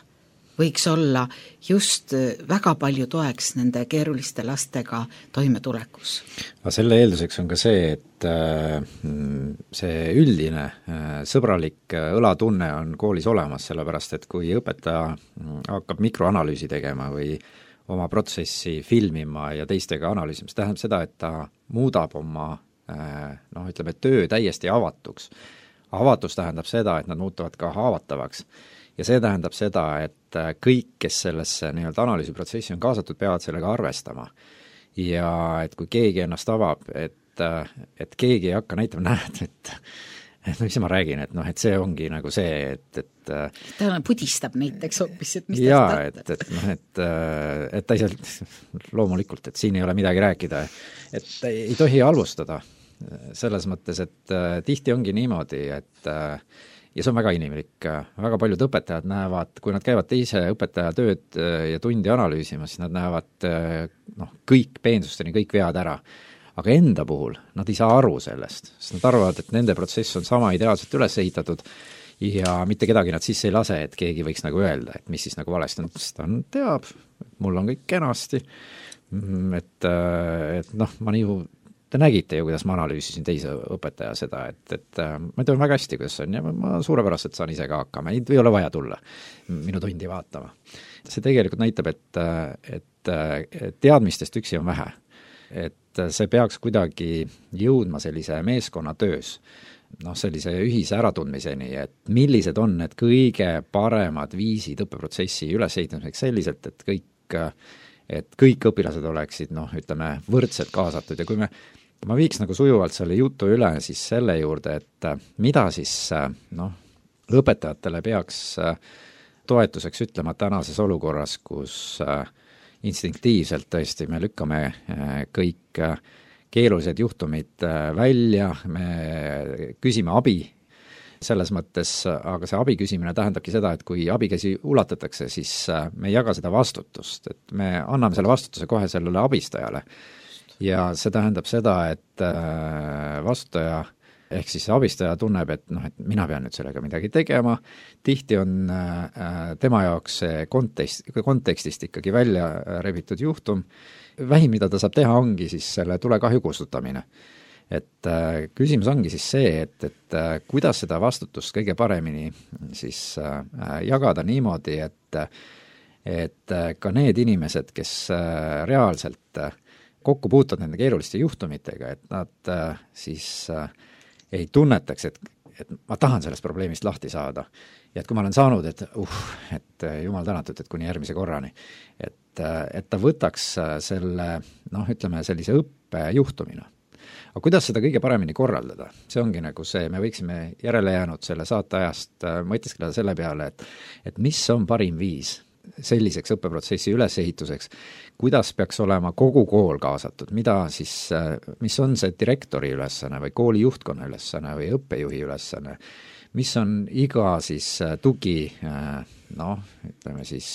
võiks olla just väga palju toeks nende keeruliste lastega toimetulekus. Aga selle eelduseks on ka see, et see üldine sõbralik õlatunne on koolis olemas, sellepärast et kui õpetaja hakkab mikroanalüüsi tegema või oma protsessi filmima ja teistega analüüsima, see tähendab seda, et ta muudab oma noh, ütleme, töö täiesti avatuks. Avatus tähendab seda, et nad muutuvad ka haavatavaks. Ja see tähendab seda, et kõik, kes sellesse nii-öelda analüüsiprotsessi on kaasatud, peavad sellega arvestama. Ja et kui keegi ennast avab, et, et keegi ei hakka näitama, näed, et, et mis ma räägin, et noh, et see ongi nagu see, et, et ta pudistab näiteks hoopis, et mis jaa, et, et noh, et, et ta ei saa, loomulikult, et siin ei ole midagi rääkida, et ei tohi halvustada selles mõttes, et tihti ongi niimoodi, et ja see on väga inimlik, väga paljud õpetajad näevad, kui nad käivad teise õpetaja tööd ja tundi analüüsimas, siis nad näevad noh, kõik peensusteni, kõik vead ära. Aga enda puhul nad ei saa aru sellest, sest nad arvavad, et nende protsess on sama ideaalselt üles ehitatud ja mitte kedagi nad sisse ei lase, et keegi võiks nagu öelda, et mis siis nagu valesti on, sest ta teab, mul on kõik kenasti, et, et noh, ma nii te nägite ju, kuidas ma analüüsisin teise õpetaja seda, et, et ma tean väga hästi, kuidas on ja ma suurepäraselt saan ise ka hakkama, ei ole vaja tulla minu tundi vaatama. See tegelikult näitab, et, et, et teadmistest üksi on vähe. Et see peaks kuidagi jõudma sellise meeskonna töös, noh, sellise ühise äratundmiseni, et millised on need kõige paremad viisid õppeprotsessi ülesehitamiseks selliselt, et kõik et kõik õpilased oleksid, noh, ütleme, võrdselt kaasatud ja kui me, ma viiks nagu sujuvalt selle jutu üle siis selle juurde, et mida siis, noh, õpetajatele peaks toetuseks ütlema tänases olukorras, kus instinktiivselt tõesti me lükkame kõik keerulised juhtumid välja, me küsime abi selles mõttes, aga see abi küsimine tähendabki seda, et kui abikäsi ulatatakse, siis me ei jaga seda vastutust, et me anname selle vastutuse kohe sellele abistajale. Ja see tähendab seda, et vastutaja ehk siis abistaja tunneb, et noh, et mina pean nüüd sellega midagi tegema, tihti on tema jaoks see kontekst, kontekstist ikkagi välja rebitud juhtum, vähim, mida ta saab teha, ongi siis selle tulekahju kustutamine. Et äh, küsimus ongi siis see, et, et äh, kuidas seda vastutust kõige paremini siis äh, jagada niimoodi, et, et äh, ka need inimesed, kes äh, reaalselt äh, kokku puutuvad nende keeruliste juhtumitega, et nad äh, siis äh, ei tunnetaks, et, et ma tahan sellest probleemist lahti saada. Ja et kui ma olen saanud, et uh, et jumal tänatud, et kuni järgmise korrani, et, äh, et ta võtaks selle, noh, ütleme sellise õppe juhtumina. aga kuidas seda kõige paremini korraldada? See ongi nagu see, me võiksime järele jäänud selle saateajast mõtiskleda selle peale, et, et mis on parim viis selliseks õppeprotsessi ülesehituseks, kuidas peaks olema kogu kool kaasatud, mida siis, mis on see direktori ülesanne või kooli juhtkonna ülesanne või õppejuhi ülesanne, mis on iga siis tugi, noh, ütleme siis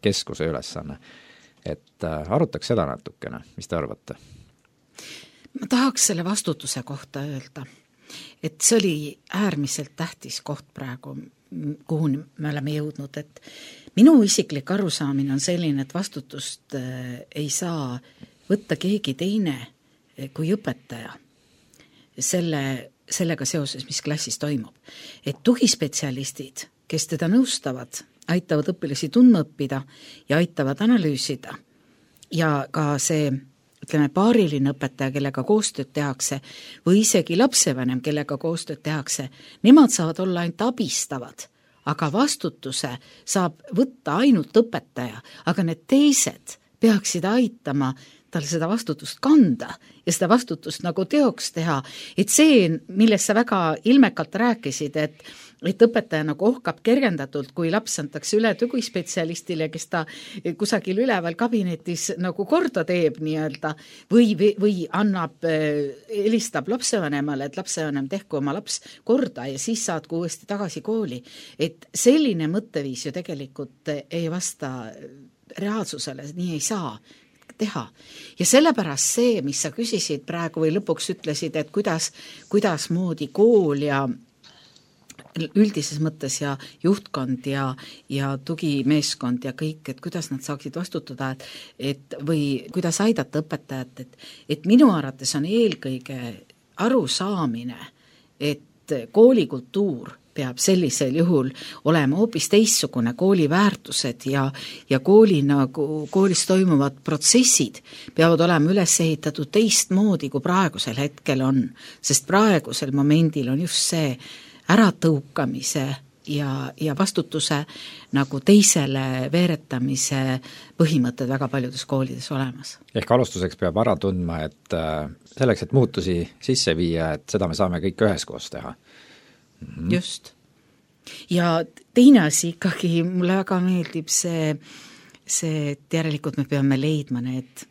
keskuse ülesanne. Et arutaks seda natukene, mis te arvate? Ma tahaks selle vastutuse kohta öelda, et see oli äärmiselt tähtis koht praegu, kuhu me oleme jõudnud, et minu isiklik arusaamine on selline, et vastutust ei saa võtta keegi teine kui õpetaja selle, sellega seoses, mis klassis toimub. Et tugispetsialistid, kes teda nõustavad, aitavad õpilasi tundma õppida ja aitavad analüüsida ja ka see ütleme, paariline õpetaja, kellega koostööd tehakse, või isegi lapsevanem, kellega koostööd tehakse, nemad saavad olla ainult abistavad, aga vastutuse saab võtta ainult õpetaja, aga need teised peaksid aitama tal seda vastutust kanda ja seda vastutust nagu teoks teha. Et see, millest sa väga ilmekalt rääkisid, et, et õpetaja nagu ohkab kergendatult, kui laps antakse üle tugispetsialistile, kes ta kusagil üleval kabinetis nagu korda teeb nii-öelda, või, või annab, helistab lapsevanemale, et lapsevanem tehku oma laps korda ja siis saadku uuesti tagasi kooli. Et selline mõtteviis ju tegelikult ei vasta reaalsusele, nii ei saa teha. Ja sellepärast see, mis sa küsisid praegu või lõpuks ütlesid, et kuidas, kuidas moodi kool ja üldises mõttes ja juhtkond ja, ja tugimeeskond ja kõik, et kuidas nad saaksid vastutada, et, et või kuidas aidata õpetajat, et, et minu arvates on eelkõige arusaamine, et koolikultuur peab sellisel juhul olema hoopis teissugune, kooli väärtused ja, ja kooli, nagu, koolis toimuvad protsessid peavad olema üles ehitatud teistmoodi, kui praegusel hetkel on, sest praegusel momendil on just see äratõukamise ja, ja vastutuse nagu teisele veeretamise põhimõtted väga paljudes koolides olemas. Ehk alustuseks peab ära tundma, et selleks, et muutusi sisse viia, et seda me saame kõik üheskoos teha. Mm-hmm. Just. Ja teine asi ikkagi, mulle väga meeldib see, see, et järelikult me peame leidma need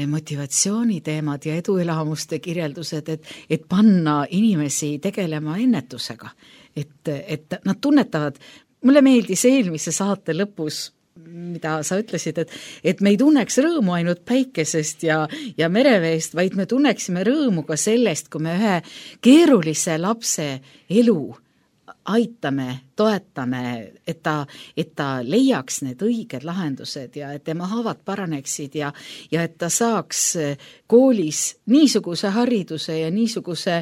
motivatsiooniteemad ja eduelamuste kirjeldused, et, et panna inimesi tegelema ennetusega. Et, et nad tunnetavad, mulle meeldis eelmise saate lõpus, mida sa ütlesid, et, et me ei tunneks rõõmu ainult päikesest ja, ja mereveest, vaid me tunneksime rõõmu ka sellest, kui me ühe keerulise lapse elu aitame, toetame, et ta, et ta leiaks need õiged lahendused ja et tema haavad paraneksid ja, ja et ta saaks koolis niisuguse hariduse ja niisuguse,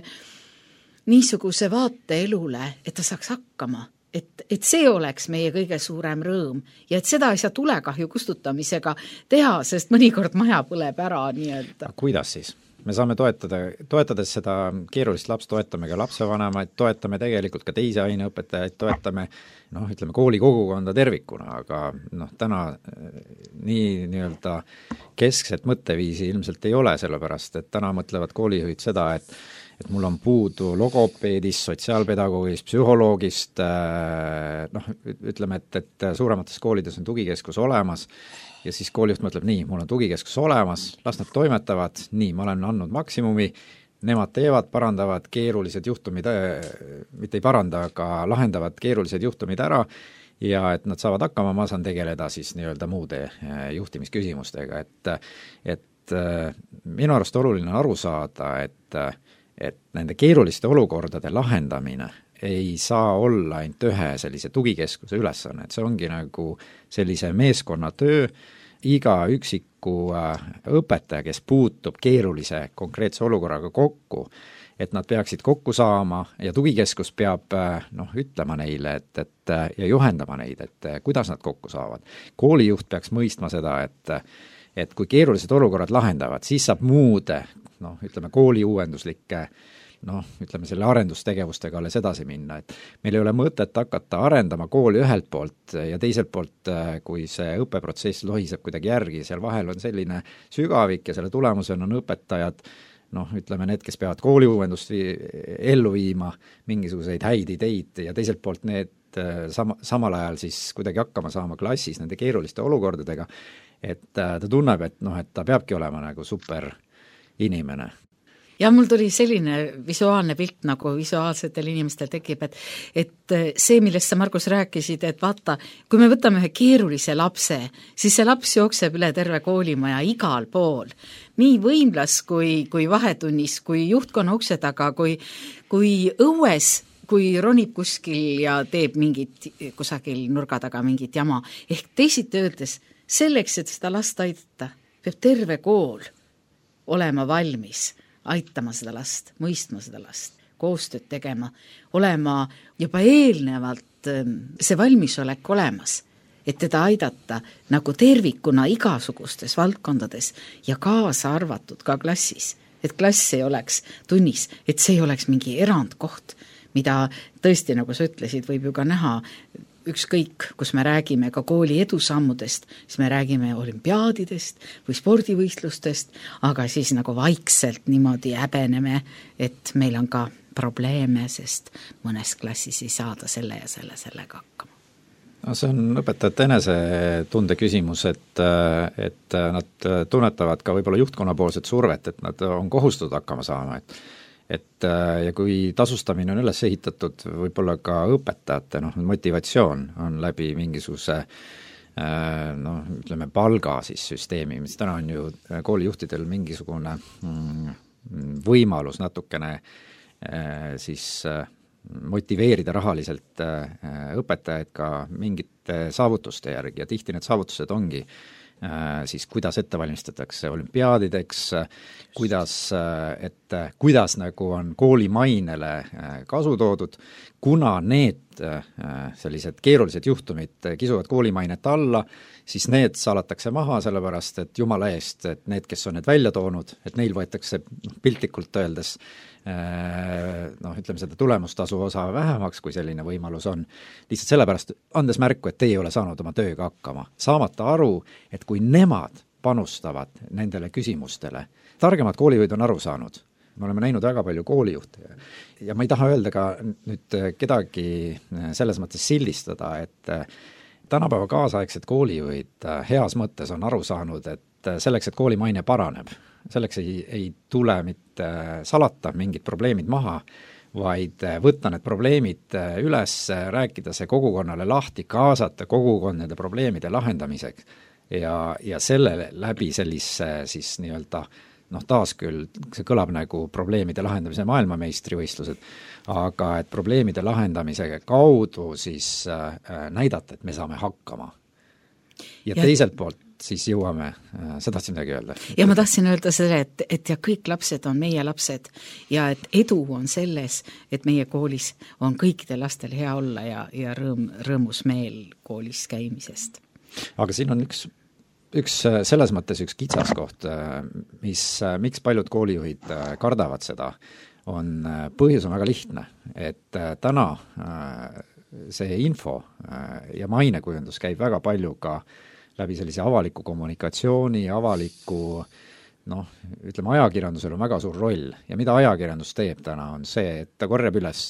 niisuguse vaate elule, et ta saaks hakkama. Et, et see oleks meie kõige suurem rõõm ja et seda ei saa tulekahju kustutamisega teha, sest mõnikord maja põleb ära nii-öelda. Kuidas siis? Me saame toetada, toetades seda keerulist lapst, toetame ka lapsevanemaid, toetame tegelikult ka teisi aineõpetajaid, toetame noh, ütleme kooli kogukonda tervikuna, aga noh, täna nii nii-öelda keskset mõtteviisi ilmselt ei ole, sellepärast et täna mõtlevad koolijuhid seda, et et mul on puudu logopeedist, sotsiaalpedagoogist, psühholoogist, noh, ütleme, et, et suuremates koolides on tugikeskus olemas ja siis koolijuht mõtleb, nii, mul on tugikeskus olemas, las nad toimetavad, nii, ma olen andnud maksimumi, nemad teevad, parandavad keerulised juhtumid, mitte ei paranda, aga lahendavad keerulised juhtumid ära ja et nad saavad hakkama, ma saan tegeleda siis nii-öelda muude juhtimisküsimustega, et, et minu arust oluline aru saada, et et nende keeruliste olukordade lahendamine ei saa olla ainult ühe sellise tugikeskuse ülesanne, et see ongi nagu sellise meeskonnatöö, iga üksiku õpetaja, kes puutub keerulise konkreetse olukorraga kokku, et nad peaksid kokku saama ja tugikeskus peab noh, ütlema neile, et, et, ja juhendama neid, et kuidas nad kokku saavad. Koolijuht peaks mõistma seda, et et kui keerulised olukorrad lahendavad, siis saab muude, noh, ütleme kooli uuenduslike, noh, ütleme selle arendustegevustega alles edasi minna, et meil ei ole mõtet hakata arendama kooli ühelt poolt ja teiselt poolt, kui see õppeprotsess lohiseb kuidagi järgi, seal vahel on selline sügavik ja selle tulemusena on õpetajad noh, ütleme need, kes peavad kooliuuendust vii, ellu viima, mingisuguseid häid ideid ja teiselt poolt need sama, samal ajal siis kuidagi hakkama saama klassis nende keeruliste olukordadega, et ta tunneb, et noh, et ta peabki olema nagu super inimene. Ja mul tuli selline visuaalne pilt, nagu visuaalsetel inimestel tekib, et, et see, millest sa, Margus, rääkisid, et vaata, kui me võtame ühe keerulise lapse, siis see laps jookseb üle terve koolimaja igal pool. Nii võimlas kui, kui vahetunnis, kui juhtkonna ukse taga, kui, kui õues, kui ronib kuskil ja teeb mingit, kusagil nurga taga mingit jama. Ehk teisiti öeldes, selleks, et seda last aidata, peab terve kool olema valmis aitama seda last, mõistma seda last, koostööd tegema, olema juba eelnevalt see valmisolek olemas, et teda aidata nagu tervikuna igasugustes valdkondades ja kaasa arvatud ka klassis. Et klass ei oleks tunnis, et see ei oleks mingi erandkoht, mida tõesti, nagu sa ütlesid, võib ju ka näha ükskõik, kus me räägime ka kooli edusammudest, siis me räägime olümpiaadidest või spordivõistlustest, aga siis nagu vaikselt niimoodi häbeneme, et meil on ka probleeme, sest mõnes klassis ei saada selle ja selle sellega hakkama. No see on õpetajate enesetunde küsimus, et, et nad tunnetavad ka võib-olla juhtkonnapoolset survet, et nad on kohustatud hakkama saama, et et ja kui tasustamine on üles ehitatud, võib-olla ka õpetajate noh, motivatsioon on läbi mingisuguse noh, ütleme palga siis süsteemi, mis täna on ju koolijuhtidel mingisugune võimalus natukene siis motiveerida rahaliselt õpetajaid ka mingite saavutuste järgi ja tihti need saavutused ongi siis kuidas ette valmistatakse olümpiaadideks, kuidas, et kuidas nagu on kooli mainele kasu toodud, kuna need sellised keerulised juhtumid kisuvad koolimainet alla, siis need salatakse maha, sellepärast et jumala eest, et need, kes on need välja toonud, et neil võetakse piltlikult öeldes noh, ütleme seda tulemustasu osa vähemaks, kui selline võimalus on. Lihtsalt sellepärast andes märku, et teie ei ole saanud oma tööga hakkama. Saamata aru, et kui nemad panustavad nendele küsimustele, targemad koolijuhid on aru saanud. Me oleme näinud väga palju koolijuhte ja ma ei taha öelda ka nüüd kedagi selles mõttes sildistada, et tänapäeva kaasaegsed koolijuhid heas mõttes on aru saanud, et selleks, et kooli maine paraneb, selleks ei, ei tule mitte salata mingid probleemid maha, vaid võtta need probleemid üles, rääkida see kogukonnale lahti, kaasata kogukond nende probleemide lahendamiseks ja, ja selle läbi sellise siis nii-öelda noh, taas küll see kõlab nagu probleemide lahendamise maailmameistrivõistlused, aga et probleemide lahendamise kaudu siis äh, näidata, et me saame hakkama. Ja, ja teiselt poolt siis jõuame, sa tahtsid midagi öelda? Ja ma tahtsin öelda selle, et, et ja kõik lapsed on meie lapsed ja et edu on selles, et meie koolis on kõikidel lastel hea olla ja, ja rõõm, rõõmus meel koolis käimisest. Aga siin on üks, üks selles mõttes üks kitsaskoht, mis, miks paljud koolijuhid kardavad seda, on põhjus on väga lihtne, et täna see info ja mainekujundus käib väga palju ka läbi sellise avaliku kommunikatsiooni, avaliku, noh, ütleme, ajakirjandusel on väga suur roll ja mida ajakirjandus teeb täna on see, et ta korjab üles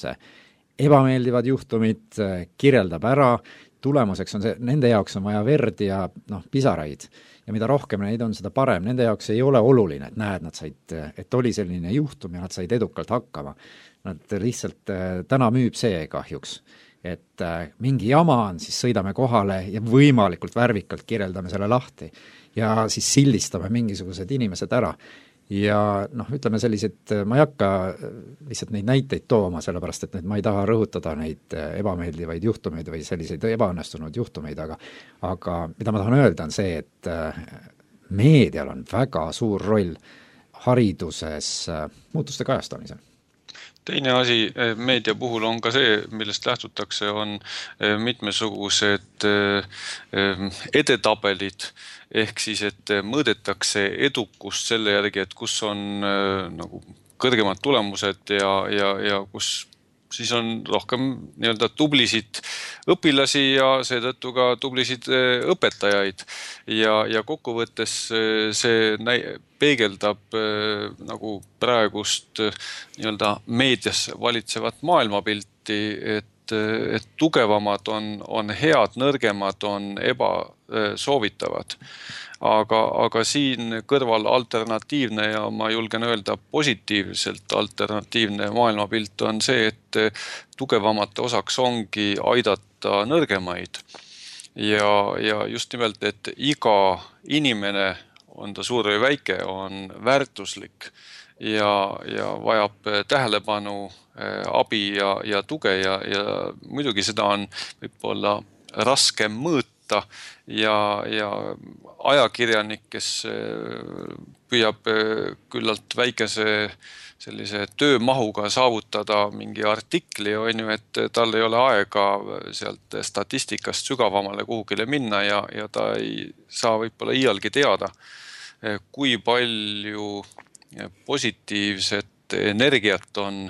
ebameeldivad juhtumid, kirjeldab ära, tulemuseks on see, nende jaoks on vaja verd ja noh, pisaraid ja mida rohkem neid on, seda parem, nende jaoks ei ole oluline, et näed, nad said, et oli selline juhtum ja nad said edukalt hakkama. Nad lihtsalt täna müüb see kahjuks. Et mingi jama on, siis sõidame kohale ja võimalikult värvikalt kirjeldame selle lahti ja siis sildistame mingisugused inimesed ära. Ja noh, ütleme sellised, ma ei hakka lihtsalt neid näiteid tooma, sellepärast et need, ma ei taha rõhutada neid ebameeldivaid juhtumeid või selliseid ebaõnnestunud juhtumeid, aga, aga mida ma tahan öelda on see, et meedial on väga suur roll hariduses muutuste kajastamisel. Teine asi meedia puhul on ka see, millest lähtutakse, on mitmesugused edetabelid, ehk siis, et mõõdetakse edukust selle järgi, et kus on nagu kõrgemad tulemused ja, ja, ja kus siis on rohkem nii-öelda tublisid õpilasi ja seetõttu ka tublisid õpetajaid. Ja, ja kokkuvõttes see näi- peegeldab nagu praegust nii-öelda meedias valitsevat maailmapilti, et, et tugevamad on, on head, nõrgemad on ebasoovitavad. Aga, aga siin kõrval alternatiivne ja ma julgen öelda positiivselt alternatiivne maailmapilt on see, et tugevamate osaks ongi aidata nõrgemaid. Ja, ja just nimelt, et iga inimene, on ta suur või väike, on väärtuslik ja, ja vajab tähelepanu, abi ja, ja tuge ja, ja muidugi seda on võib-olla raskem mõõta ja, ja ajakirjanik, kes püüab küllalt väikese sellise töömahuga saavutada mingi artikli, on ju, et tal ei ole aega sealt statistikast sügavamale kuhugile minna ja, ja ta ei saa võib-olla iialgi teada, kui palju positiivset energiat on,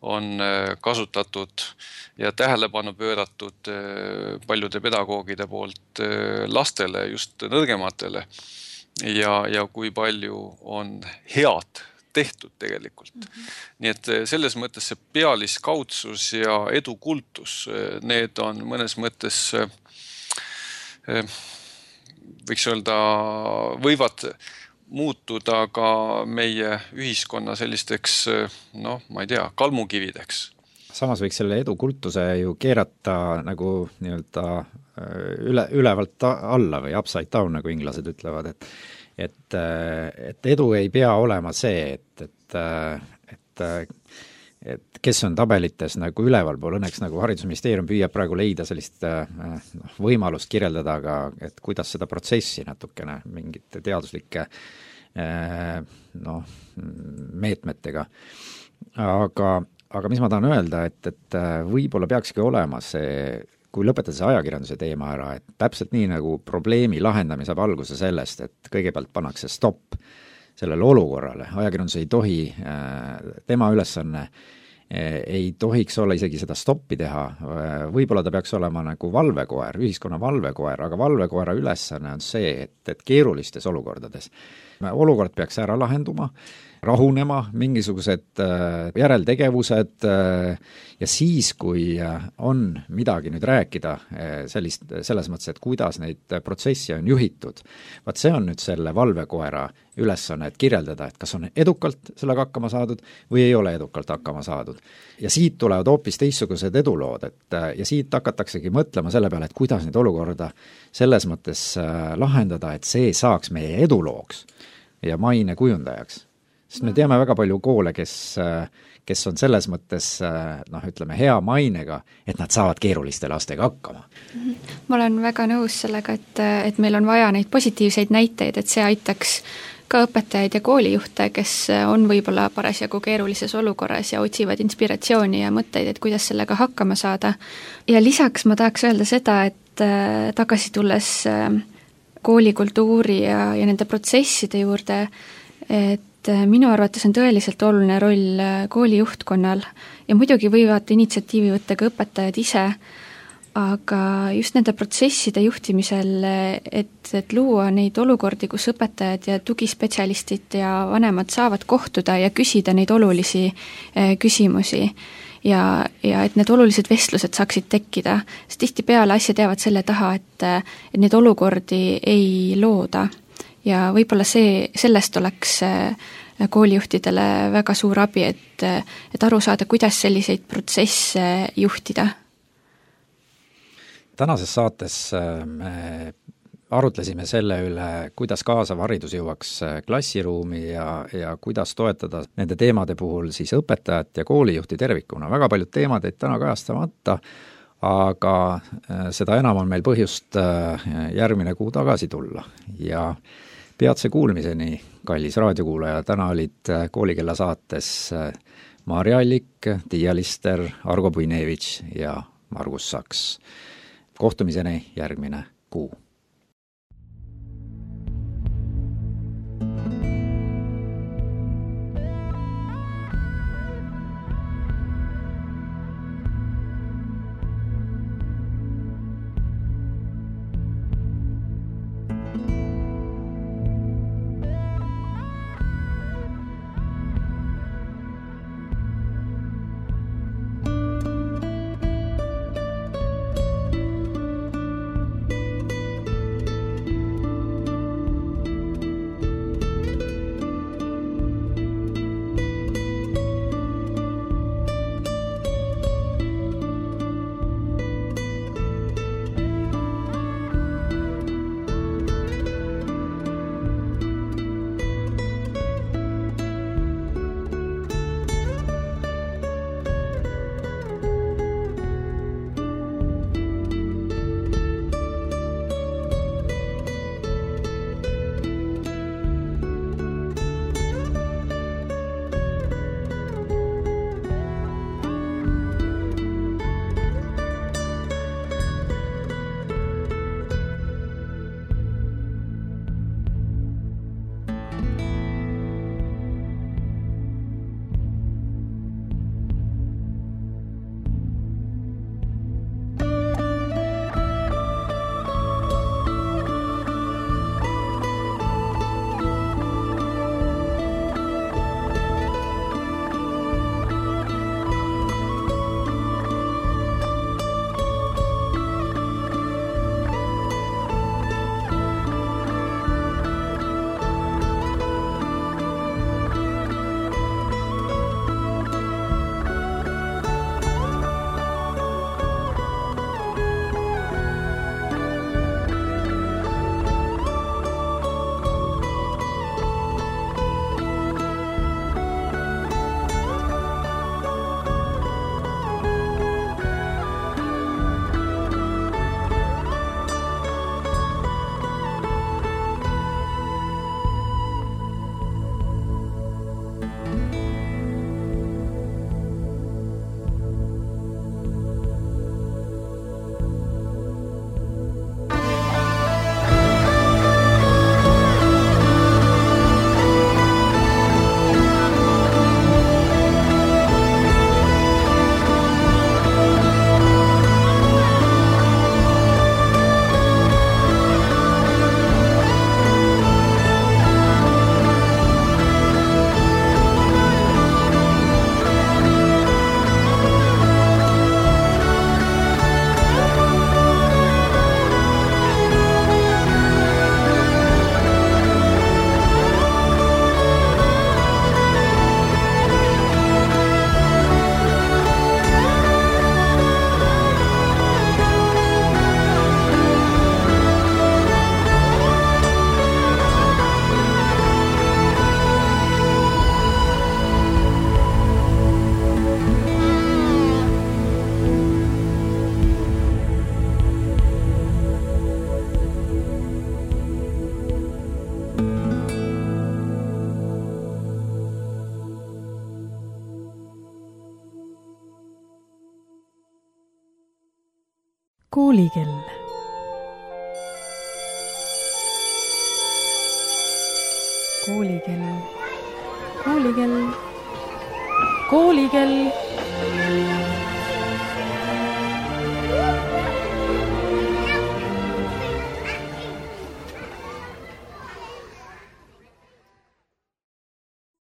on kasutatud ja tähelepanu pööratud paljude pedagoogide poolt lastele, just nõrgematele ja, ja kui palju on head tehtud tegelikult. Mm-hmm. Nii et selles mõttes see pealiskaudsus ja edukultus, need on mõnes mõttes, võiks öelda, võivad muutuda ka meie ühiskonna sellisteks, noh, ma ei tea, kalmukivideks. Samas võiks selle edukultuse ju keerata nagu nii-öelda üle, ülevalt alla või upside down, nagu inglased ütlevad, et et, et edu ei pea olema see, et, et, et, et kes on tabelites nagu ülevalpool, õnneks nagu Haridusministeerium püüab praegu leida sellist noh, võimalust kirjeldada ka, et kuidas seda protsessi natukene mingite teaduslike noh, meetmetega. Aga, aga mis ma tahan öelda, et, et võib-olla peakski olema see, kui lõpetada see ajakirjanduse teema ära, et täpselt nii nagu probleemi lahendamine saab alguse sellest, et kõigepealt pannakse stopp sellele olukorrale, ajakirjandus ei tohi, tema ülesanne ei tohiks olla isegi seda stoppi teha, võib-olla ta peaks olema nagu valvekoer, ühiskonna valvekoer, aga valvekoera ülesanne on see, et, et keerulistes olukordades olukord peaks ära lahenduma, rahunema, mingisugused järeltegevused ja siis, kui on midagi nüüd rääkida sellist, selles mõttes, et kuidas neid protsessi on juhitud, vaat see on nüüd selle valvekoera ülesanne, et kirjeldada, et kas on edukalt sellega hakkama saadud või ei ole edukalt hakkama saadud. Ja siit tulevad hoopis teistsugused edulood, et ja siit hakataksegi mõtlema selle peale, et kuidas neid olukorda selles mõttes lahendada, et see saaks meie edulooks ja maine kujundajaks. Sest me teame väga palju koole, kes, kes on selles mõttes, noh, ütleme, hea mainega, et nad saavad keeruliste lastega hakkama. Ma olen väga nõus sellega, et, et meil on vaja neid positiivseid näiteid, et see aitaks ka õpetajaid ja koolijuhte, kes on võib-olla parasjagu keerulises olukorras ja otsivad inspiratsiooni ja mõtteid, et kuidas sellega hakkama saada. Ja lisaks ma tahaks öelda seda, et tagasi tulles koolikultuuri ja, ja nende protsesside juurde, et minu arvates on tõeliselt oluline roll kooli juhtkonnal ja muidugi võivad initsiatiivi võtta ka õpetajad ise, aga just nende protsesside juhtimisel, et, et luua neid olukordi, kus õpetajad ja tugispetsialistid ja vanemad saavad kohtuda ja küsida neid olulisi küsimusi ja, ja et need olulised vestlused saaksid tekkida, sest tihtipeale asjad jäävad selle taha, et, et neid olukordi ei looda ja võib-olla see, sellest oleks koolijuhtidele väga suur abi, et, et aru saada, kuidas selliseid protsesse juhtida. Tänases saates me arutlesime selle üle, kuidas kaasav haridus jõuaks klassiruumi ja, ja kuidas toetada nende teemade puhul siis õpetajat ja koolijuhti tervikuna. Väga paljud teemad jäid täna kajastamata, aga seda enam on meil põhjust järgmine kuu tagasi tulla. Ja peatse kuulmiseni, kallis raadiokuulaja, täna olid Koolikella saates Maarja Allik, Tiia Lister, Argo Puinevitš ja Margus Saks. Kohtumiseni järgmine kuu. koolikell. koolikell, koolikell, koolikell.